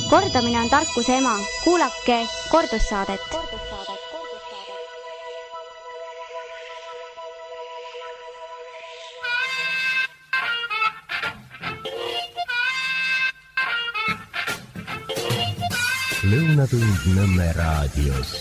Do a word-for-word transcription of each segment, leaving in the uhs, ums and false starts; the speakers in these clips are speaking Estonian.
Kordamine on tarkuse ema. Kuulake kordussaadet. Lõunatund Nõmme raadios.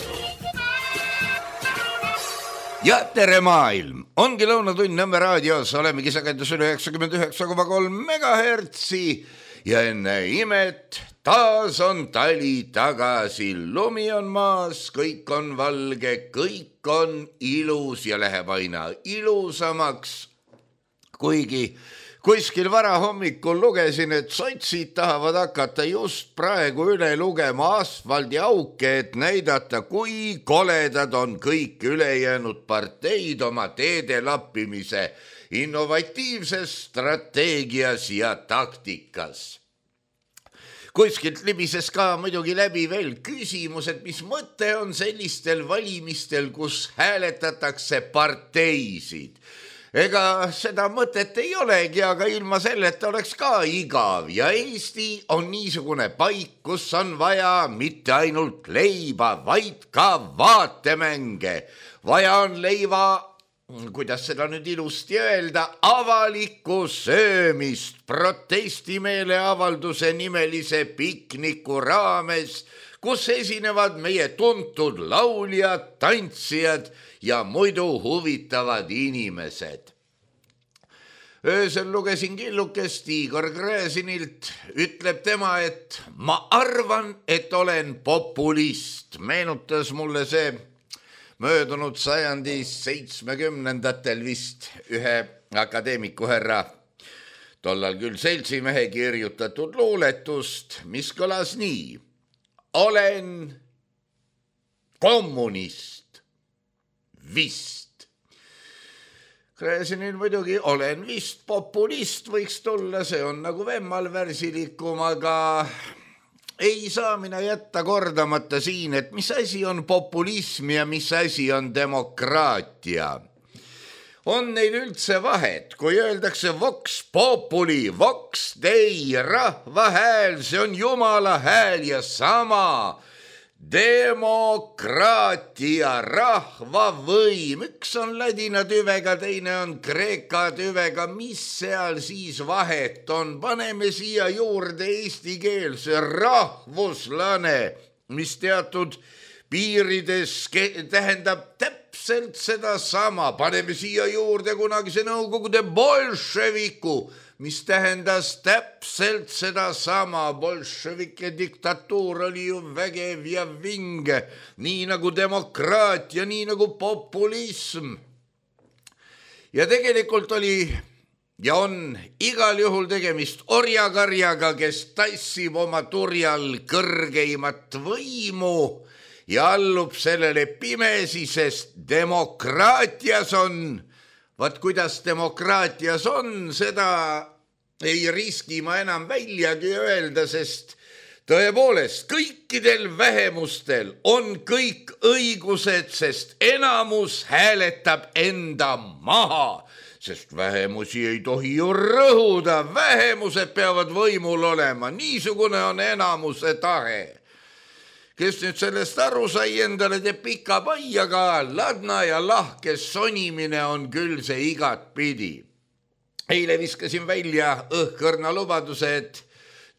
Ja tere maailm! Ongi Lõunatund Nõmme raadios. Olemegi sagedusel üheksakümmend üheksa koma kolm megahertsi ja enne imet taas on tali tagasi. Lumi on maas, kõik on valge, kõik on ilus ja läheb aina ilusamaks. Kuigi kuskil varahommikul lugesin, et sotsid tahavad hakata just praegu üle lugema asfaldiauke, et näidata, kui koledad on kõik ülejäänud parteid oma teede lappimise innovatiivses strateegias ja taktikas. Kuskilt libises ka muidugi läbi veel küsimus, et mis mõte on sellistel valimistel, kus hääletatakse parteisid. Ega seda mõtet ei olegi, aga ilma selleta oleks ka igav ja Eesti on niisugune paik, kus on vaja mitte ainult leiba, vaid ka vaatemänge. Vaja on leiva, kuidas seda nüüd ilusti öelda, avalikku söömist protestimeele avalduse nimelise pikniku raames, kus esinevad meie tuntud lauljad, tantsijad ja muidu huvitavad inimesed. Öösel lugesin killukest Igor Gräzinilt, ütleb tema, et ma arvan, et olen populist. Meenutas mulle see möödunud sajandi seitsmekümnendatel vist ühe akadeemiku härra, tollal küll seltsimehe kirjutatud luuletust, mis kõlas nii. Olen kommunist, vist. Gräzinil muidugi olen vist populist võiks tulla, see on nagu vemmal värsilikum, aga ei saa mina jätta kordamata siin, et mis asi on populism ja mis asi on demokraatia. On neil üldse vahet, kui öeldakse vox populi, vox dei, rahva hääl, see on jumala hääl ja sama demokraatia, rahva võim. Üks on ladina tüvega, teine on kreeka tüvega. Mis seal siis vahet on? Paneme siia juurde eesti keelse rahvuslane, mis teatud piirides tähendab täpselt seda sama. Paneme siia juurde kunagise Nõukogude bolševiku, mis tähendas täpselt seda sama. Bolševike diktatuur oli ju vägev ja vinge, nii nagu demokraatia, nii nagu populism. Ja tegelikult oli ja on igal juhul tegemist orjakarjaga, kes tassib oma turjal kõrgeimat võimu ja allub sellele pimesi, sest demokraatias on. Vaat kuidas demokraatias on, seda ei riski ma enam väljagi öelda, sest tõepoolest kõikidel vähemustel on kõik õigused, sest enamus hääletab enda maha, sest vähemusi ei tohi ju rõhuda, vähemused peavad võimul olema, niisugune on enamuse tahe. Kes nüüd sellest aru sai, endale teeb pika paiaga, ladna ja lahke sonimine on küll see igat pidi. Eile viskasin välja õhkõrna lubaduse, et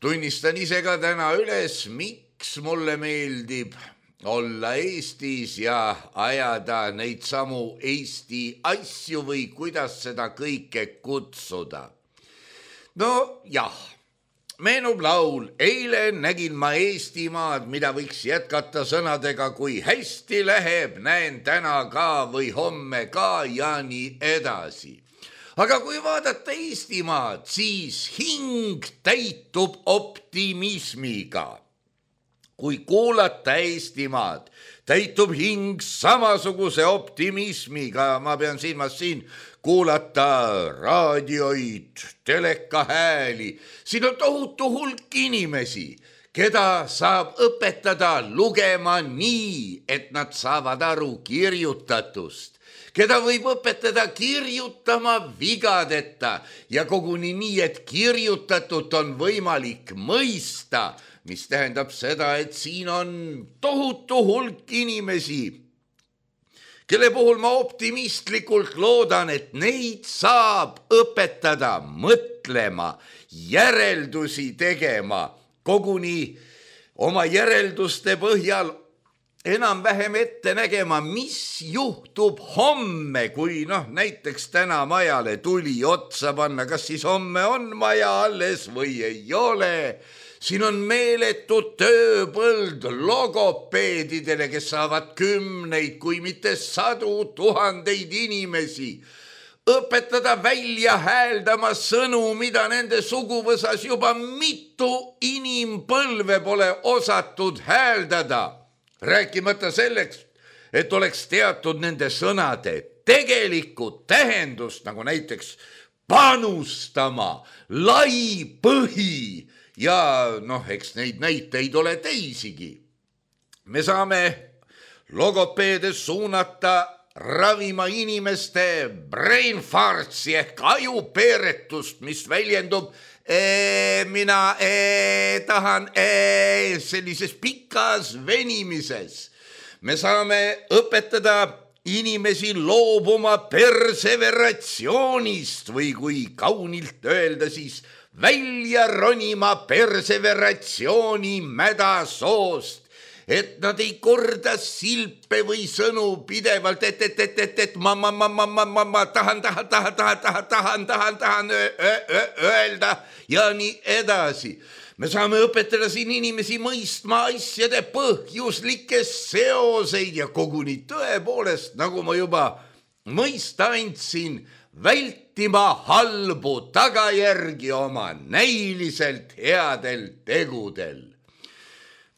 tunnistan ise ka täna üles, miks mulle meeldib olla Eestis ja ajada neid samu Eesti asju või kuidas seda kõike kutsuda. No jah. Meenub laul, eile nägin ma Eestimaad, mida võiks jätkata sõnadega, kui hästi läheb, näen täna ka või homme ka ja nii edasi. Aga kui vaadata Eestimaad, siis hing täitub optimismiga. Kui kuulata Eestimaad, täitub hing samasuguse optimismiga, ma pean silmas siin kuulata raadioid, telekahääli. Siin on tohutu hulk inimesi, keda saab õpetada lugema nii, et nad saavad aru kirjutatust. keda võib õpetada kirjutama vigadeta ja koguni nii, et kirjutatut on võimalik mõista, mis tähendab seda, et siin on tohutu hulk inimesi, kelle puhul ma optimistlikult loodan, et neid saab õpetada mõtlema, järeldusi tegema, koguni oma järelduste põhjal enam-vähem ette nägema, mis juhtub homme, kui noh, näiteks täna majale tuli otsa panna, kas siis homme on maja alles või ei ole. Siin on meeletu tööpõld logopeedidele, kes saavad kümneid, kui mitte sadu tuhandeid inimesi. Õpetada välja hääldama sõnu, mida nende suguvõsas juba mitu inimpõlve pole osatud hääldada. Rääkimata selleks, et oleks teatud nende sõnade tegelikku tähendust, nagu näiteks panustama, lai põhi ja noh, eks neid näiteid ole teisigi. Me saame logopeede suunata ravima inimeste brain fartsi ehk ajupeeretust, mis väljendub ee, mina ee, tahan ee, sellises pikas venimises. Me saame õpetada inimesi loobuma perseveratsioonist või kui kaunilt öelda, siis välja ronima perseveratsiooni mädasoost, et nad ei korda silpe või sõnu pidevalt, et, et, et, et, et ma, ma, ma, ma, ma, ma, ma tahan, tahan, tahan, tahan, tahan, tahan, tahan, tahan öelda ja nii edasi. Me saame õpetada siin inimesi mõistma asjade põhjuslikke seoseid ja koguni tõepoolest, nagu ma juba mõista andsin, vältima halbu tagajärgi oma näiliselt headel tegudel.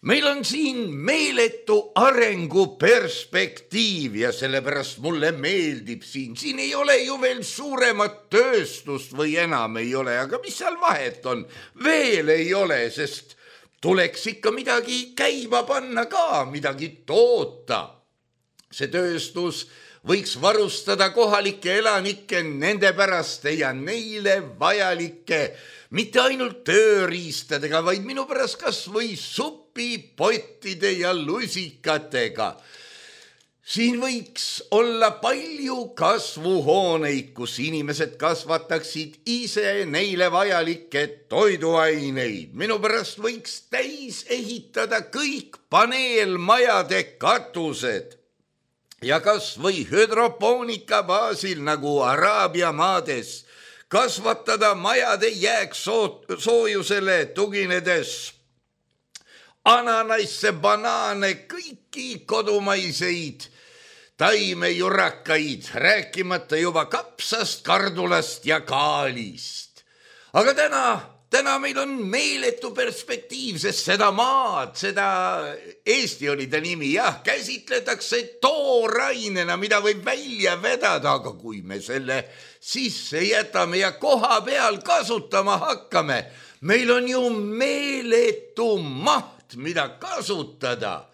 Meil on siin meeletu arenguperspektiiv ja sellepärast mulle meeldib siin. Siin ei ole ju veel suuremat tööstust või enam ei ole, aga mis seal vahet on? Veel ei ole, sest tuleks ikka midagi käima panna ka, midagi toota. See tööstus võiks varustada kohalikke elanikke nende päraste ja neile vajalike, mitte ainult tööriistadega, vaid minu pärast kas või supipottide ja lusikatega. Siin võiks olla palju kasvuhooneid, kus inimesed kasvataksid ise neile vajalikke toiduaineid. Minu pärast võiks täis ehitada kõik paneelmajade katused. Ja kas või hüdropoonika baasil nagu Araabia maades kasvatada majade jääksoojusele tuginedes ananaisse, banaane, kõiki kodumaiseid taimejurakaid, rääkimata juba kapsast, kardulast ja kaalist. Aga täna... Täna meil on meeletu perspektiiv, sest seda maad, seda Eesti oli ta nimi, jah, käsitletakse toorainena, mida võib välja vedada, aga kui me selle sisse jätame ja koha peal kasutama hakkame, meil on ju meeletu maht, mida kasutada.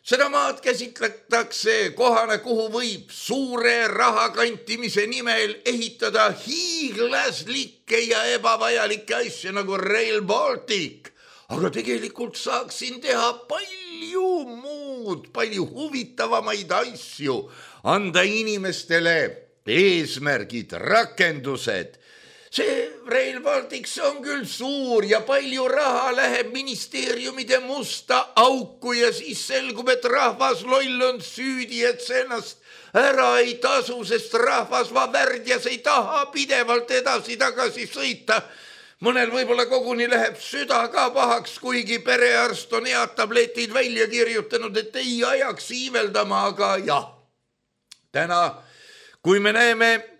Seda maad käsitletakse kohana, kuhu võib suure rahakantimise nimel ehitada hiiglaslikke ja ebavajalikke asju nagu Rail Baltic. Aga tegelikult saaksin teha palju muud, palju huvitavamaid asju, anda inimestele eesmärgid, rakendused. See Rail Baltic on küll suur ja palju raha läheb ministeeriumide musta auku ja siis selgub, et rahvas loll on süüdi, et see ennast ära ei tasu, sest rahvas värdjas ei taha pidevalt edasi-tagasi sõita. Mõnel võib-olla koguni läheb süda ka pahaks, kuigi perearst on head tabletid välja kirjutanud, et ei ajaks iiveldama, aga jah. Täna, kui me näeme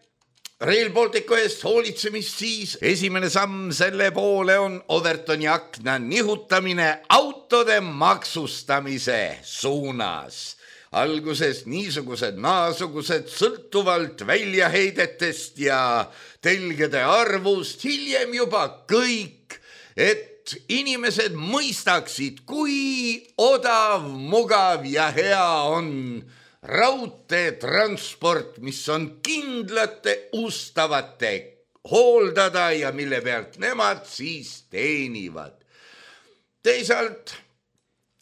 Rail Balticu eest hoolitsemist, siis esimene samm selle poole on Overtoni akna nihutamine autode maksustamise suunas. Alguses niisugused naasugused sõltuvalt väljaheidetest ja telgede arvust, hiljem juba kõik, et inimesed mõistaksid, kui odav, mugav ja hea on raudteetransport, mis on kindlate ustavate hooldada ja mille pealt nemad siis teenivad. Teisalt,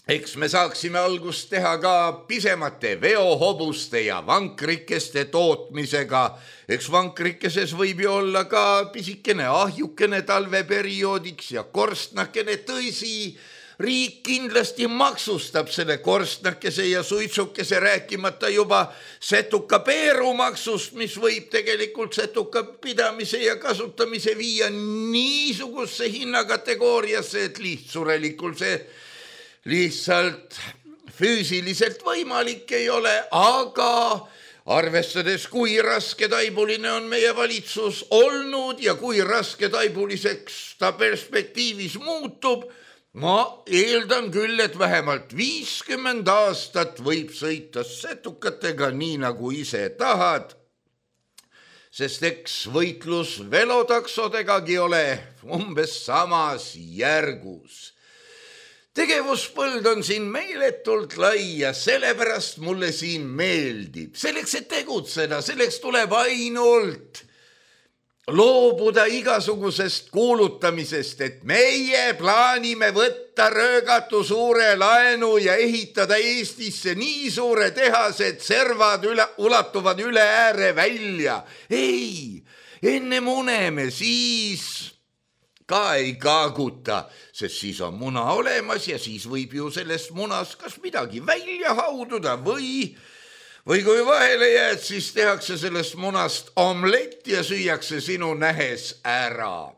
eks me saaksime algust teha ka pisemate veohobuste ja vankrikeste tootmisega. Eks vankrikeses võib ju olla ka pisikene ahjukene talveperioodiks ja korstnakene. Tõsi, riik kindlasti maksustab selle korstnakese ja suitsukese, rääkimata juba setuka peerumaksust, mis võib tegelikult setuka pidamise ja kasutamise viia niisuguse hinnakategooriasse, et lihtsurelikult see lihtsalt füüsiliselt võimalik ei ole, aga arvestades, kui raske taibuline on meie valitsus olnud ja kui raske taibuliseks ta perspektiivis muutub, ma eeldan küll, et vähemalt viiskümmend aastat võib sõita setukatega nii nagu ise tahad, sest eks võitlus velotaksodegagi ole umbes samas järgus. Tegevuspõld on siin meeletult lai ja sellepärast mulle siin meeldib. Selleks, et tegutseda, selleks tuleb ainult loobuda igasugusest kuulutamisest, et meie plaanime võtta röögatu suure laenu ja ehitada Eestisse nii suure tehase, et servad üle, ulatuvad üle ääre välja. Ei, enne muneme, siis ka ei kaaguta, sest siis on muna olemas ja siis võib ju sellest munast kas midagi välja haududa või, või kui vahele jääd, siis tehakse sellest munast omlett ja süüakse sinu nähes ära.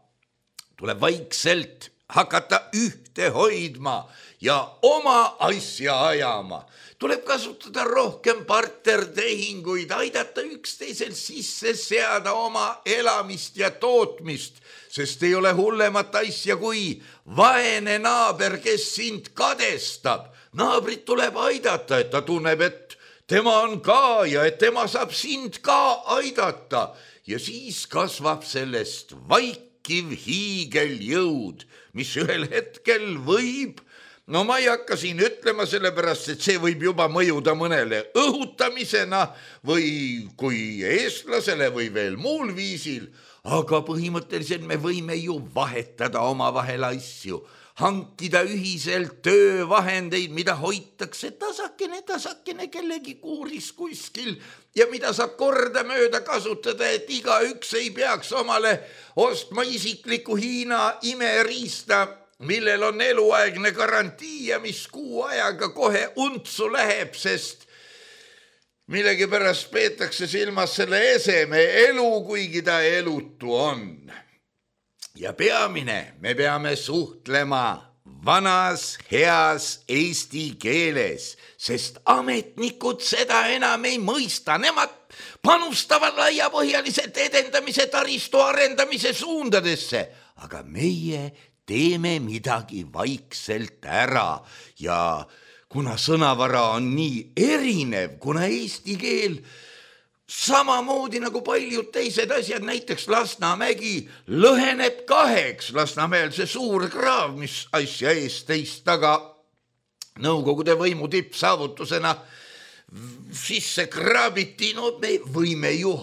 Tuleb vaikselt hakata ühte hoidma ja oma asja ajama. Tuleb kasutada rohkem partnertehinguid, aidata üksteisel sisse seada oma elamist ja tootmist, sest ei ole hullemat asja kui vaene naaber, kes sind kadestab. Naabrit tuleb aidata, et ta tunneb, et tema on ka ja et tema saab sind ka aidata. Ja siis kasvab sellest vaikiv hiigeljõud, mis ühel hetkel võib, no ma ei hakka siin ütlema, sellepärast, et see võib juba mõjuda mõnele õhutamisena või kui eestlasele või veel muul viisil, aga põhimõtteliselt me võime ju vahetada oma vahel asju, hankida ühiselt töövahendeid, mida hoitakse tasakene, tasakene kellegi kuuris kuskil ja mida saab korda mööda kasutada, et igaüks ei peaks omale ostma isikliku Hiina imeriista, millel on eluaegne garantii ja mis kuu ajaga kohe untsu läheb, sest millegipärast peetakse silmas selle eseme elu, kuigi ta elutu on. Ja peamine, me peame suhtlema vanas heas eesti keeles, sest ametnikud seda enam ei mõista. Nemad panustavad laiapõhjaliselt edendamise taristu arendamise suundadesse, aga meie teeme midagi vaikselt ära ja kuna sõnavara on nii erinev, kuna eesti keel samamoodi nagu paljud teised asjad, näiteks Lasnamägi lõheneb kaheks, Lasnamäel see suur kraav, mis asja eest teist taga nõukogude võimu tippsaavutusena sisse kraabiti, no me võime ju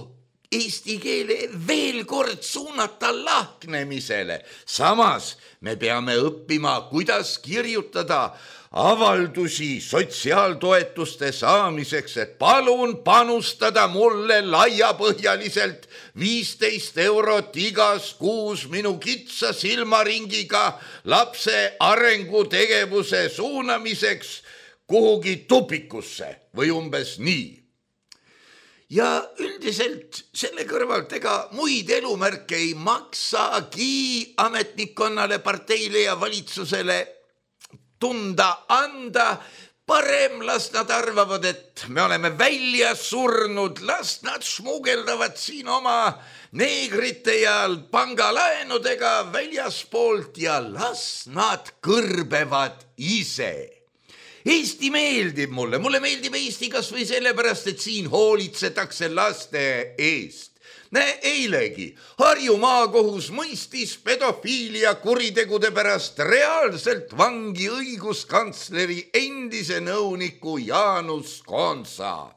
eesti keele veel kord suunata lahknemisele. Samas me peame õppima, kuidas kirjutada avaldusi sotsiaaltoetuste saamiseks, et palun panustada mulle laiapõhjaliselt viisteist eurot igas kuus minu kitsa silmaringiga lapse arengutegevuse suunamiseks kuhugi tupikusse või umbes nii. Ja üldiselt selle kõrvalt ega muid elumärke ei maksagi ametnikkonnale, parteile ja valitsusele tunda anda. Parem las nad arvavad, et me oleme välja surnud, las nad smugeldavad siin oma neegrite ja pangalaenudega väljaspoolt ja las nad kõrbevad ise. Eesti meeldib mulle, mulle meeldib Eesti kas või sellepärast, et siin hoolitsetakse laste eest. Eilegi Harju maakohus mõistis pedofiilia kuritegude pärast reaalselt vangi õiguskantsleri endise nõuniku Jaanus Konsa.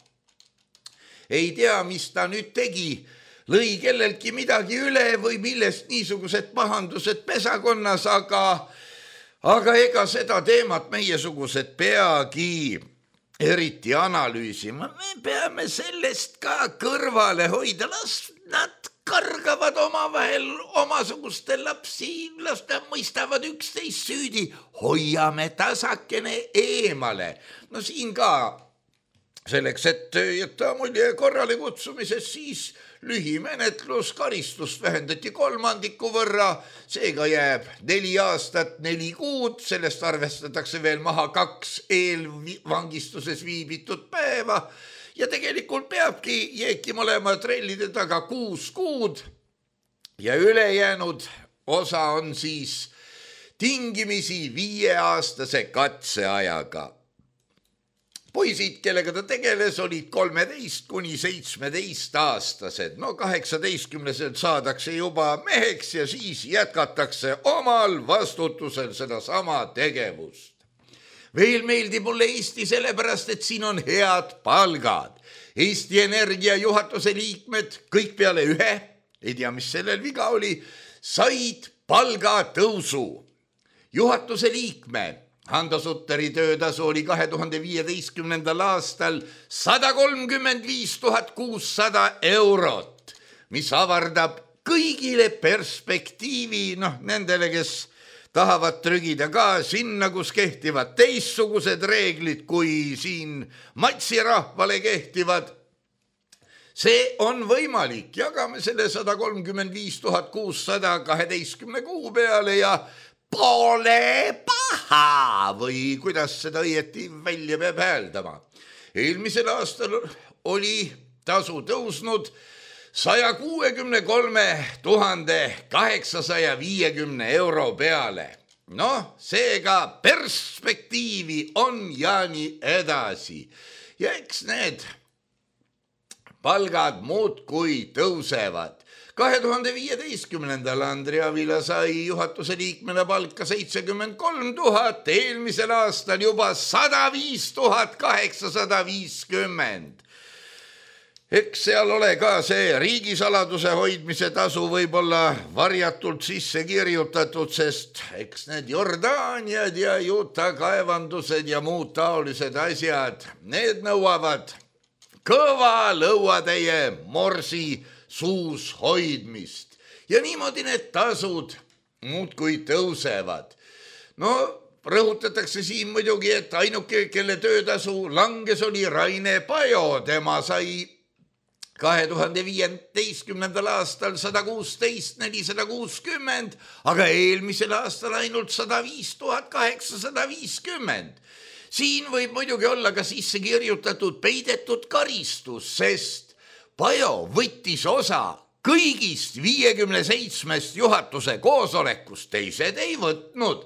ei tea, mis ta nüüd tegi, lõi kellelgi midagi üle või millest niisugused pahandused pesakonnas, aga, aga ega seda teemat meiesugused peagi eriti analüüsima. Me peame sellest ka kõrvale hoida, las nad kargavad omavahel omasuguste lapsi, las nad mõistavad üksteist süüdi, hoiame tasakene eemale. No siin ka selleks, et jätta mulje korrale kutsumises, siis lühimenetlus, karistus vähendati kolmandiku võrra, seega jääb neli aastat, neli kuud, sellest arvestatakse veel maha kaks eelvangistuses viibitud päeva ja tegelikult peabki jeeki mõlema trellide taga kuus kuud ja ülejäänud osa on siis tingimisi viieaastase katseajaga. Poisid, kellega ta tegeles, olid kolmeteist kuni seitsmeteist aastased. No kaheksateistkümneselt saadakse juba meheks ja siis jätkatakse omal vastutusel seda sama tegevust. Veel meeldib mulle Eesti sellepärast, et siin on head palgad. Eesti Energia juhatuse liikmed, kõik peale ühe, ei tea, mis sellel viga oli, said palgatõusu. Juhatuse liikme Hando Sutteri töötasu oli kahe tuhande viieteistkümnendal aastal sada kolmkümmend viis tuhat kuussada eurot, mis avardab kõigile perspektiivi, noh, nendele, kes tahavad trügida ka sinna, kus kehtivad teistsugused reeglid, kui siin matsirahvale kehtivad. See on võimalik, jagame selle sada kolmkümmend viis tuhat kuussada kaheteistkümne kuu peale ja pole paha või kuidas seda õieti välja peab hääldama. Eelmisel aastal oli tasu tõusnud saja kuuekümne kolme tuhande kaheksasaja viiekümne euro peale. Noh, seega perspektiivi on ja nii edasi. Ja eks need palgad muudkui tõusevad. kahe tuhande viieteistkümnendal Andri Avila sai juhatuse liikmena palka seitsekümmend kolm tuhat, eelmisel aastal juba sada viis tuhat kaheksasada viiskümmend. Eks seal ole ka see riigisaladuse hoidmise tasu võib-olla varjatult sisse kirjutatud, sest eks need Jordaaniad ja Juta kaevandused ja muud taolised asjad, need nõuavad kõva lõuatäie morsi suus hoidmist ja niimoodi need tasud muudkui tõusevad. No rõhutatakse siin muidugi, et ainuke, kelle töötasu langes, oli Raine Pajo, tema sai kahe tuhande viieteistkümnendal aastal sada kuusteist nelisada kuuskümmend, aga eelmisel aastal ainult sada viis tuhat kaheksasada viiskümmend. Siin võib muidugi olla ka sisse kirjutatud peidetud karistus, sest Pajo võttis osa kõigist viiekümne seitsmest juhatuse koosolekust, teised ei võtnud.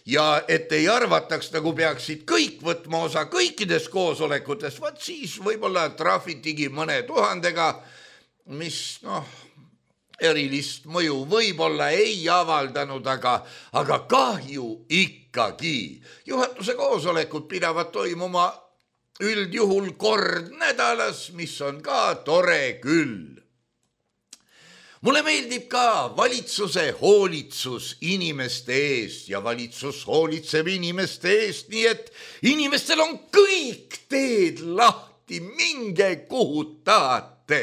Ja et ei arvataks, nagu peaksid kõik võtma osa kõikides koosolekutes, vaat siis võib-olla trahvitigi mõne tuhandega, mis noh, erilist mõju võib-olla ei avaldanud, aga, aga kahju ikkagi. Juhatuse koosolekud pidavad toimuma üldjuhul kord nädalas, mis on ka tore küll. Mulle meeldib ka valitsuse hoolitsus inimeste eest ja valitsus hoolitseb inimeste eest, nii et inimestel on kõik teed lahti, minge kuhu tahate.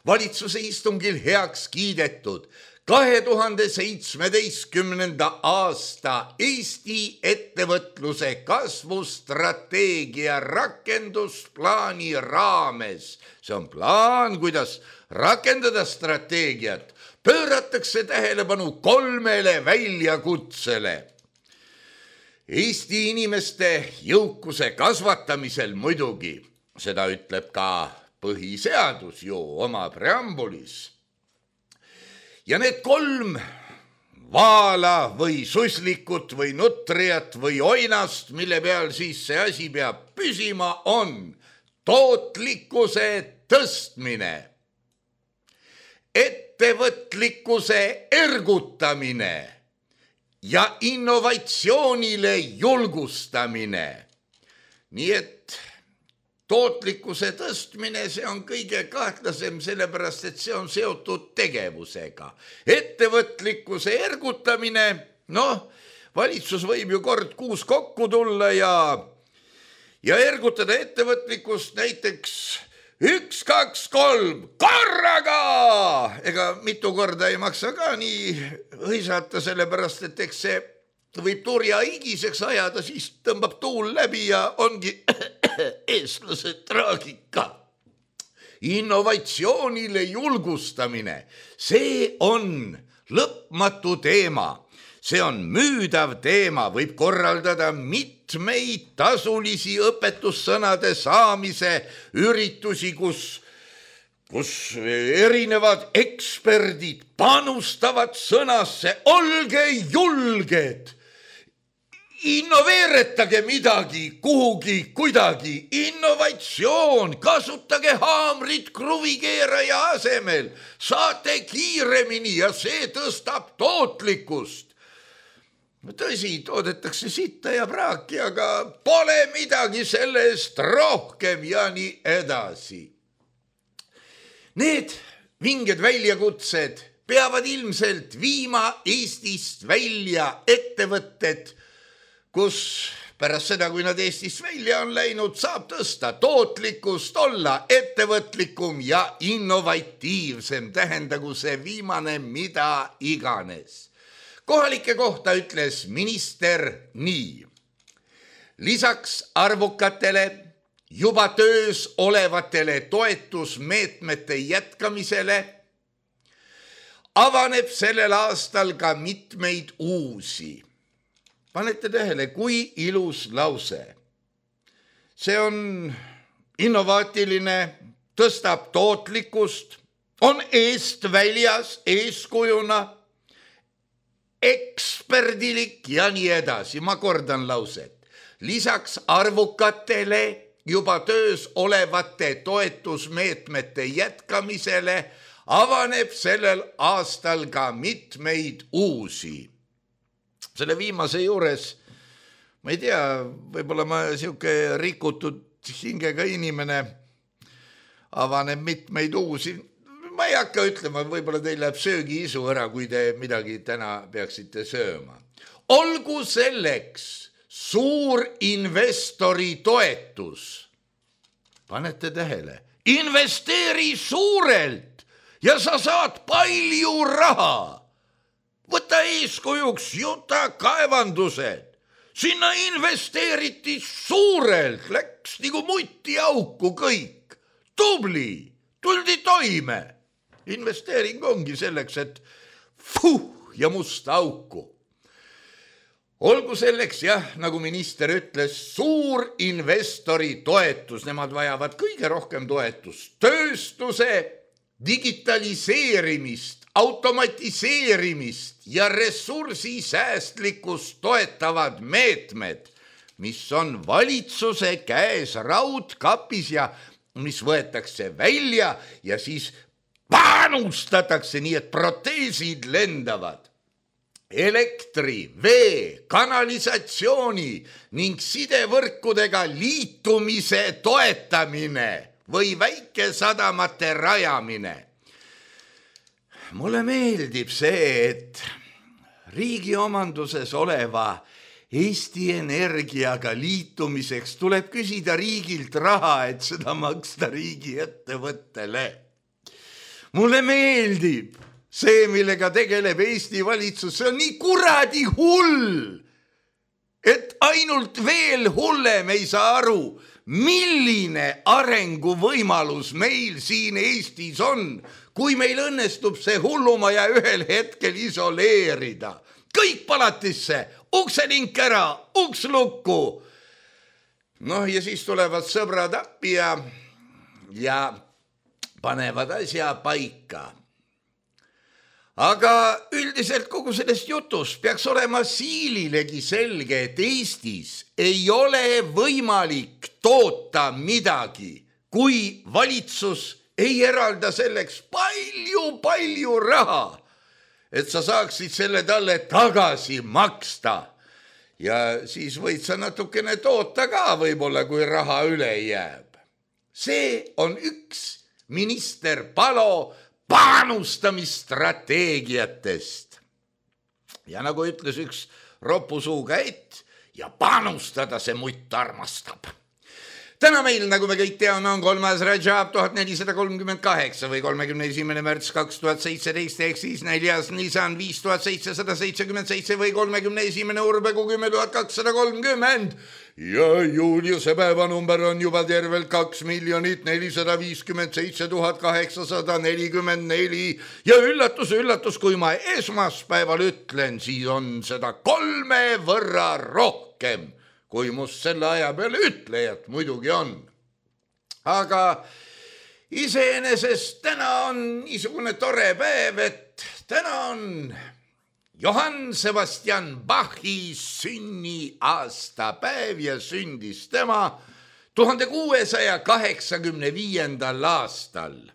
Valitsuse istungil heaks kiidetud kahe tuhande seitsmeteistkümnenda aasta Eesti ettevõtluse kasvustrateegia rakendusplaani raames. See on plaan, kuidas rakendada strateegiat. Pööratakse tähelepanu kolmele väljakutsele. Eesti inimeste jõukuse kasvatamisel muidugi, seda ütleb ka põhiseadus ju oma preambulis. Ja need kolm vaala või suslikut või nutriat või oinast, mille peal siis see asi peab püsima, on tootlikkuse tõstmine, ettevõtlikkuse ergutamine ja innovatsioonile julgustamine. Nii et tootlikkuse tõstmine, see on kõige kahtlasem, sellepärast, et see on seotud tegevusega. Ettevõtlikkuse ergutamine, noh, valitsus võib ju kord kuus kokku tulla ja, ja ergutada ettevõtlikkust näiteks üks, kaks, kolm, korraga! Ega mitu korda ei maksa ka nii hõisata, sellepärast, et eks see võib turja higiseks ajada, siis tõmbab tuul läbi ja ongi eestlase traagika. Innovatsioonile julgustamine, see on lõpmatu teema. See on müüdav teema, võib korraldada mitmeid tasulisi õpetussõnade saamise üritusi, kus, kus erinevad eksperdid panustavad sõnasse, olge julged, innoveeretage midagi, kuhugi, kuidagi, innovatsioon, kasutage haamrit kruvikeeraja asemel, saate kiiremini ja see tõstab tootlikkust. Tõsi, toodetakse sitta ja praaki, aga pole midagi selle eest rohkem ja nii edasi. Need vinged väljakutsed peavad ilmselt viima Eestist välja ettevõtted, kus pärast seda, kui nad Eestist välja on läinud, saab tõsta tootlikkust, olla ettevõtlikum ja innovatiivsem, tähendagu see viimane mida iganes. Kohalike kohta ütles minister nii. Lisaks arvukatele juba töös olevatele toetusmeetmete jätkamisele avaneb sellel aastal ka mitmeid uusi. Panete tähele, kui ilus lause. See on innovaatiline, tõstab tootlikkust, on eest väljas, eeskujuna, eksperdilik ja nii edasi. Ma kordan lauset. Lisaks arvukatele juba töös olevate toetusmeetmete jätkamisele avaneb sellel aastal ka mitmeid uusi. Selle viimase juures, ma ei tea, võib-olla ma siuke rikutud hingega inimene, avaneb mitmeid uusi. Ma ei hakka ütlema, võib-olla teil läheb söögiisu ära, kui te midagi täna peaksite sööma. Olgu selleks suur investori toetus. Panete tähele, investeeri suurelt ja sa saad palju raha. Võta eeskujuks Juta kaevandused. Sinna investeeriti suurelt, läks nagu mutti auku kõik. Tubli, tuldi toime. Investeering ongi selleks, et fuh ja musta auku. Olgu selleks, jah, nagu minister ütles, suur investori toetus. Nemad vajavad kõige rohkem toetust. Tööstuse digitaliseerimist, automatiseerimist ja ressursisäästlikkust toetavad meetmed, mis on valitsuse käes raudkapis ja mis võetakse välja ja siis panustatakse nii, et proteesid lendavad. Elektri, vee, kanalisatsiooni ning sidevõrkudega liitumise toetamine või väikesadamate rajamine. Mulle meeldib see, et riigi omanduses oleva Eesti Energiaga liitumiseks tuleb küsida riigilt raha, et seda maksta riigi ettevõttele. Mulle meeldib see, millega tegeleb Eesti valitsus, see on nii kuradi hull, et ainult veel hullem ei saa aru, milline arenguvõimalus meil siin Eestis on, kui meil õnnestub see hullumaja ühel hetkel isoleerida. Kõik palatisse, ukselink ära, uks lukku. Noh, ja siis tulevad sõbrad appi ja, ja panevad asja paika. Aga üldiselt kogu sellest jutust peaks olema siililegi selge, et Eestis ei ole võimalik toota midagi, kui valitsus ei eralda selleks palju-palju raha, et sa saaksid selle talle tagasi maksta. Ja siis võid sa natukene toota ka võib-olla, kui raha üle jääb. see on üks minister Palo panustamisstrateegiatest. Ja nagu ütles üks ropusuuga et ja panustada see mutt armastab. Täna meil, nagu me kõik teame, on kolmas Rajab tuhat nelisada kolmkümmend kaheksa või kolmekümne esimene märts kaks tuhat seitseteist ehk siis neljas Nisan viis tuhat seitsesada seitsekümmend seitse või kolmekümne esimene Urbegu kümme tuhat kakssada kolmkümmend. Ja Juliuse päevanumber on juba tervelt kaks miljonit nelisada viiskümmend seitse tuhat kaheksasada nelikümmend neli. Ja üllatus, üllatus, kui ma esmaspäeval ütlen, siis on seda kolme võrra rohkem, kui must selle aja peale ütlejat muidugi on. Aga iseenesest täna on niisugune tore päev, et täna on Johann Sebastian Bachi sünniaastapäev ja sündis tema tuhande kuuesaja kaheksakümne viiendal aastal.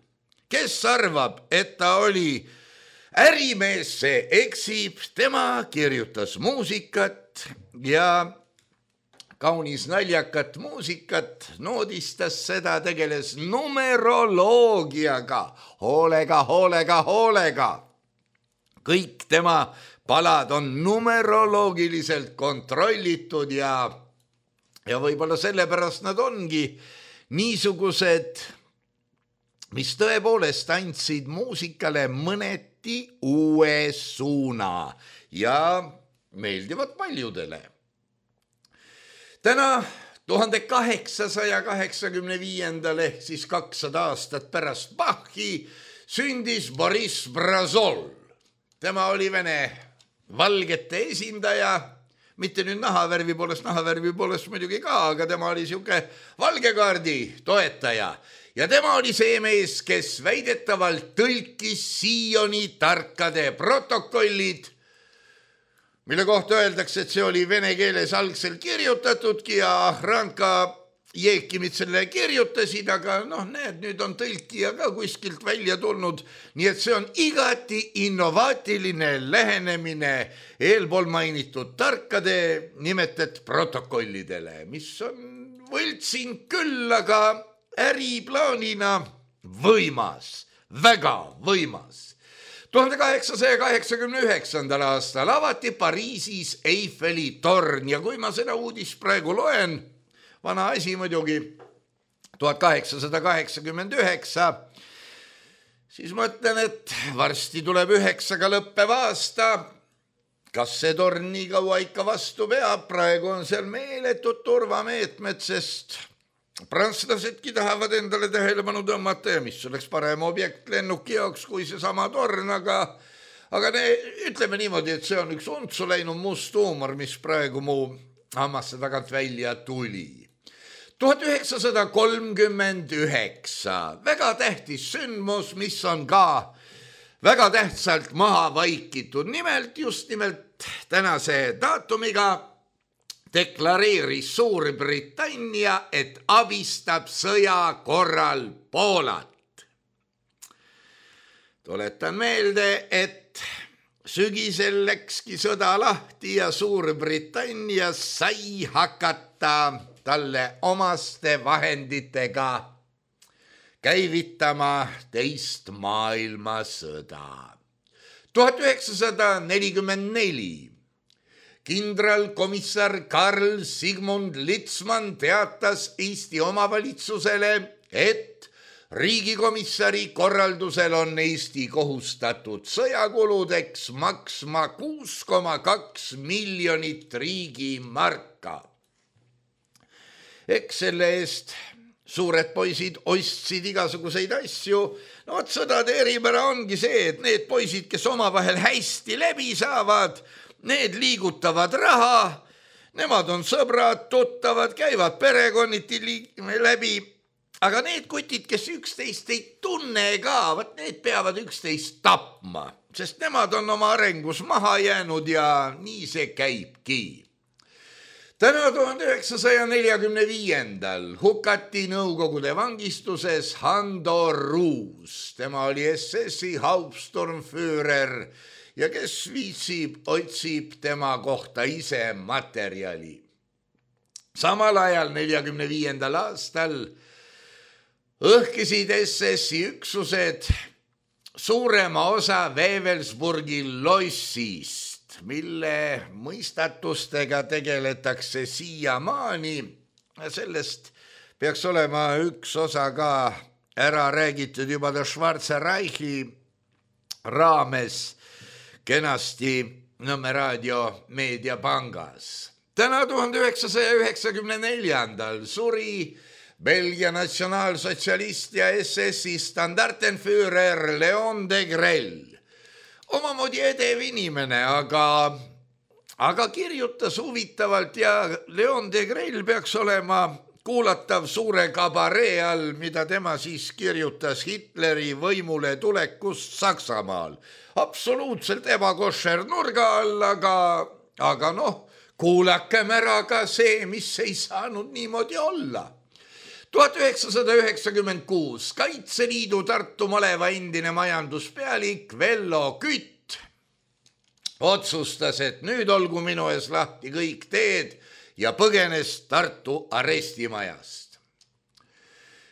Kes arvab, et ta oli ärimees, see eksib, tema kirjutas muusikat ja kaunis naljakat muusikat, noodistas seda, tegeles numeroloogiaga, hoolega, hoolega, hoolega. Kõik tema palad on numeroloogiliselt kontrollitud ja, ja võib-olla sellepärast nad ongi niisugused, mis tõepoolest andsid muusikale mõneti uue suuna ja meeldivad paljudele. Täna tuhande kaheksasaja kaheksakümne viiendal ehk siis kakssada aastat pärast Bachi sündis Boris Brazol. Tema oli Vene valgete esindaja, mitte nüüd nahavärvi poolest, nahavärvi poolest muidugi ka, aga tema oli siuke valgekaardi toetaja. Ja tema oli see mees, kes väidetavalt tõlkis Sioni tarkade protokollid, mille kohta öeldakse, et see oli vene keeles algselt kirjutatudki ja Ranka Jeekimid selle kirjutasid, aga noh, näed, nüüd on tõlkija ka kuskilt välja tulnud, nii et see on igati innovaatiline lähenemine eelpool mainitud tarkade nimetet protokollidele, mis on võltsin küll, aga äriplaanina võimas, väga võimas. tuhande kaheksasaja kaheksakümne üheksandal aastal avati Pariisis Eiffeli torn ja kui ma seda uudist praegu loen, vana asi muidugi, tuhat kaheksasada kaheksakümmend üheksa, siis mõtlen, et varsti tuleb üheksaga lõppev aasta. Kas see torn nii kaua ikka vastu peab? Praegu on seal meeletud turvameetmed, sest prantslasedki tahavad endale tähelepanu tõmmata ja mis oleks parem objekt lennuki jaoks kui see sama torn, aga, aga ne, ütleme niimoodi, et see on üks untsu läinud must huumor, mis praegu mu hammaste tagant välja tuli. tuhat üheksasada kolmkümmend üheksa, väga tähtis sündmus, mis on ka väga tähtsalt maha vaikitud. Nimelt, just nimelt tänase daatumiga deklareeris Suurbritannia, et abistab sõja korral Poolat. Tuletan meelde, et sügisel läkski sõda lahti ja Suurbritannia sai hakata talle omaste vahenditega käivitama teist maailmasõda. tuhat üheksasada nelikümmend neli kindralkomissar Karl Sigmund Litzmann teatas Eesti omavalitsusele, et riigikomissari korraldusel on Eesti kohustatud sõjakuludeks maksma kuus koma kaks miljonit riigimarka. Eks selle eest suured poisid ostsid igasuguseid asju. No vot, sõdade eripära ongi see, et need poisid, kes omavahel hästi läbi saavad, need liigutavad raha, nemad on sõbrad, tuttavad, käivad perekonniti läbi, aga need kutid, kes üksteist ei tunne ka, võt need peavad üksteist tapma, sest nemad on oma arengus maha jäänud ja nii see käibki. Täna tuhande üheksasaja neljakümne viiendal hukati Nõukogude vangistuses Hando Ruus. Tema oli S S-i Hauptsturmführer ja kes viitsib, otsib tema kohta ise materjali. Samal ajal neljakümne viiendal aastal õhkisid S S-i üksused suurema osa Wewelsburgi lossist, mille mõistatustega tegeletakse siiamaani. Sellest peaks olema üks osa ka ära räägitud juba ta Schwarze Reichi raames kenasti Nõmme raadio meediapangas. Täna tuhande üheksasaja üheksakümne neljandal suri Belgia natsionaalsotsialist ja S S-i standartenführer Leon de Grell. Omamoodi edev inimene, aga, aga kirjutas huvitavalt ja Leon de Grell peaks olema kuulatav suure kabaree all, mida tema siis kirjutas Hitleri võimule tulekust Saksamaal. Absoluutselt ebakošer nurga all, aga, aga noh, kuulakem ära ka see, mis ei saanud niimoodi olla. tuhat üheksasada üheksakümmend kuus Kaitseliidu Tartu maleva endine majanduspealik Vello Kütt otsustas, et nüüd olgu minu ees lahti kõik teed ja põgenes Tartu arestimajast.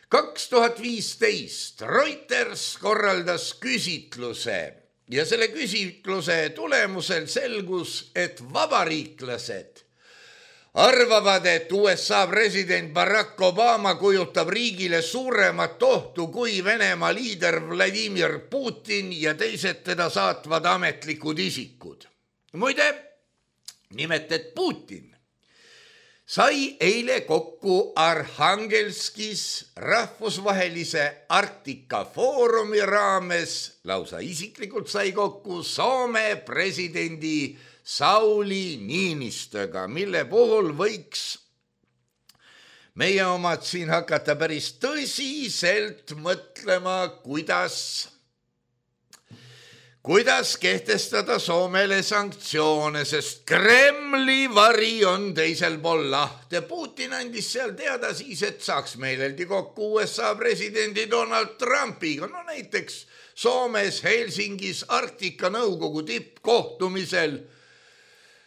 kaks tuhat viisteist Reuters korraldas küsitluse ja selle küsitluse tulemusel selgus, et vabariiklased arvavad, et U S A president Barack Obama kujutab riigile suuremat ohtu kui Venemaa liider Vladimir Putin ja teised teda saatvad ametlikud isikud. Muide, nimelt, et Putin sai eile kokku Arhangelskis rahvusvahelise Arktika foorumi raames, lausa isiklikult sai kokku Soome presidendi Sauli Niinistöga, mille puhul võiks meie omad siin hakata päris tõsiselt mõtlema, kuidas kuidas kehtestada Soomele sanktsioone, sest Kremli vari on teisel pool lahte. Putin andis seal teada siis, et saaks meeleldi kokku U S A presidendi Donald Trumpiga. No näiteks Soomes Helsingis Arktika nõukogu tippkohtumisel.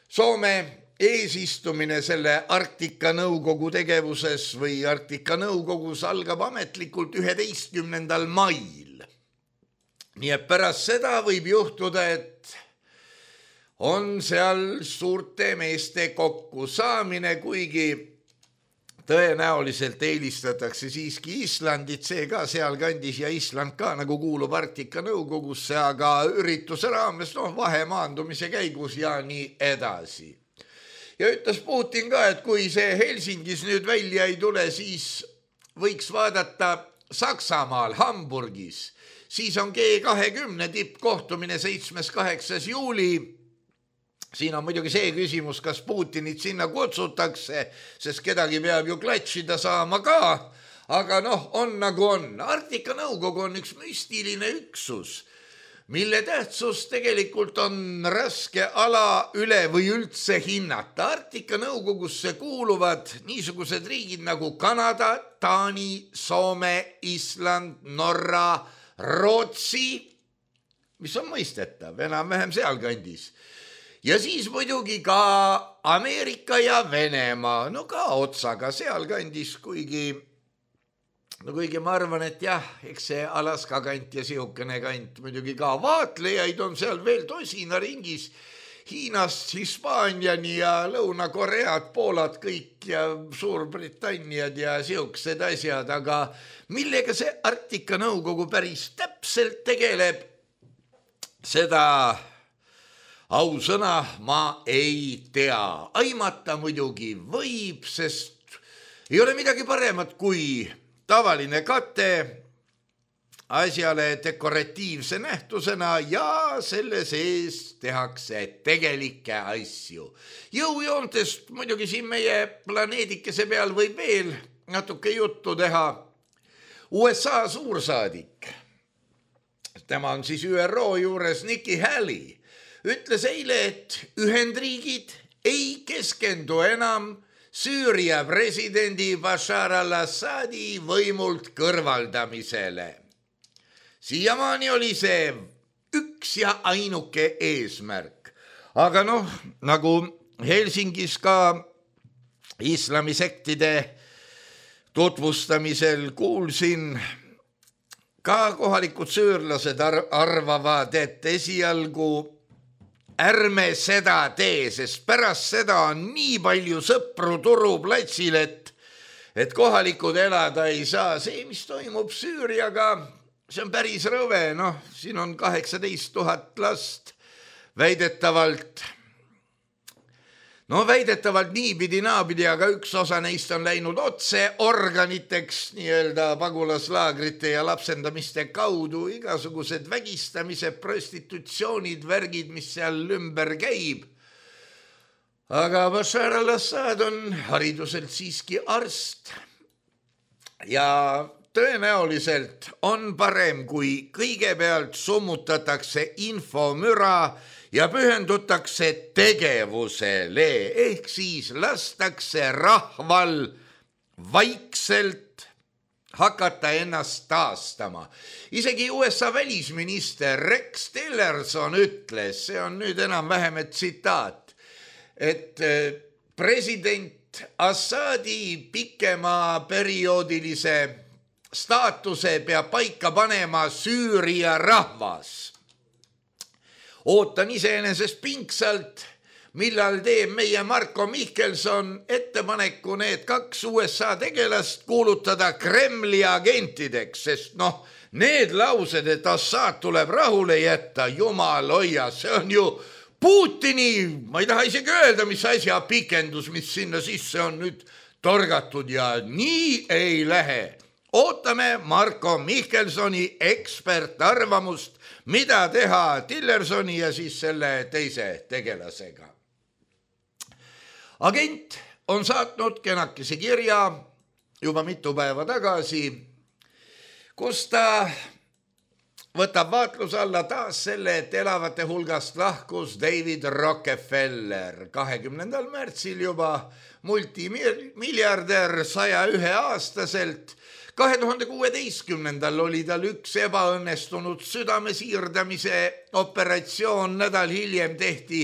Soome eesistumine selle Arktika nõukogu tegevuses või Arktika nõukogus algab ametlikult üheteistkümnendal mail. Nii et pärast seda võib juhtuda, et on seal suurte meeste kokkusaamine, kuigi tõenäoliselt eelistatakse siiski Islandit, see ka seal kandis ja Island ka nagu kuulub Arktika nõukogusse, aga ürituse raames no, vahemaandumise käigus ja nii edasi. Ja ütles Putin ka, et kui see Helsingis nüüd välja ei tule, siis võiks vaadata Saksamaal, Hamburgis. Siis on G kahekümne tippkohtumine seitsmes kaheksas juuli. Siin on muidugi see küsimus, kas Putinit sinna kutsutakse, sest kedagi peab ju klatšida saama ka. Aga noh, on nagu on. Arktika nõukogu on üks müstiline üksus, mille tähtsus tegelikult on raske ala üle või üldse hinnata. Arktika nõukogusse kuuluvad niisugused riigid nagu Kanada, Taani, Soome, Island, Norra, Rootsi, mis on mõistetav, enam-vähem seal kandis. Ja siis muidugi ka Ameerika ja Venemaa, no ka otsaga seal kandis, kuigi, no kuigi ma arvan, et jah, eks see Alaska kant ja sihukene kant muidugi ka vaatlejaid on seal veel tosina ringis, Hiinast, Hispaaniani ja Lõuna-Koread, Poolad kõik ja Suurbritanniad ja sihukesed asjad, aga millega see Arktika nõukogu päris täpselt tegeleb, seda ausõna ma ei tea. Aimata muidugi võib, sest ei ole midagi paremat kui tavaline kate asjale dekoratiivse nähtusena ja selle sees tehakse tegelikke asju. Jõujoontest muidugi siin meie planeedikese peal võib veel natuke juttu teha. U S A suursaadik, tema on siis Ü R O juures Nikki Haley, ütles eile, et Ühendriigid ei keskendu enam Süüria presidendi Bashar al-Assadi võimult kõrvaldamisele. Siiamaani oli see üks ja ainuke eesmärk. Aga noh, nagu Helsingis ka islamisektide tutvustamisel kuulsin, ka kohalikud süürlased arvavad, et esialgu ärme seda tee, sest pärast seda on nii palju sõpru turuplatsil, et, et kohalikud elada ei saa. See, mis toimub Süüriaga, see on päris rõve, noh, siin on kaheksateist tuhat last väidetavalt. No väidetavalt niipidi naapidi, aga üks osa neist on läinud otse organiteks nii-öelda pagulaslaagrite ja lapsendamiste kaudu, igasugused vägistamised, prostitutsioonid, värgid, mis seal ümber käib. Aga Bashar al-Assad on hariduselt siiski arst ja tõenäoliselt on parem, kui kõigepealt summutatakse infomüra ja pühendutakse tegevusele, ehk siis lastakse rahval vaikselt hakata ennast taastama. Isegi U S A välisminister Rex Tillerson ütles, see on nüüd enam-vähem tsitaat, et president Assadi pikema perioodilise staatuse peab paika panema Süüria rahvas. Ootan iseenesest pingsalt, millal teeb meie Marko Mihkelson ettepaneku need kaks U S A tegelast kuulutada Kremli agentideks, sest noh, need laused, et Assad tuleb rahule jätta, jumal hoia, see on ju Putini, ma ei taha isegi öelda, mis asja pikendus, mis sinna sisse on nüüd torgatud ja nii ei lähe. Ootame Marko Mihkelsoni ekspertarvamust, mida teha Tillersoni ja siis selle teise tegelasega. Agent on saatnud kenakese kirja juba mitu päeva tagasi, kus ta võtab vaatluse alla taas selle, et elavate hulgast lahkus David Rockefeller kahekümnendal märtsil juba multimiljardär saja ühe aastaselt. kahe tuhande kuueteistkümnendal oli tal üks ebaõnnestunud südamesiirdamise operatsioon, nädal hiljem tehti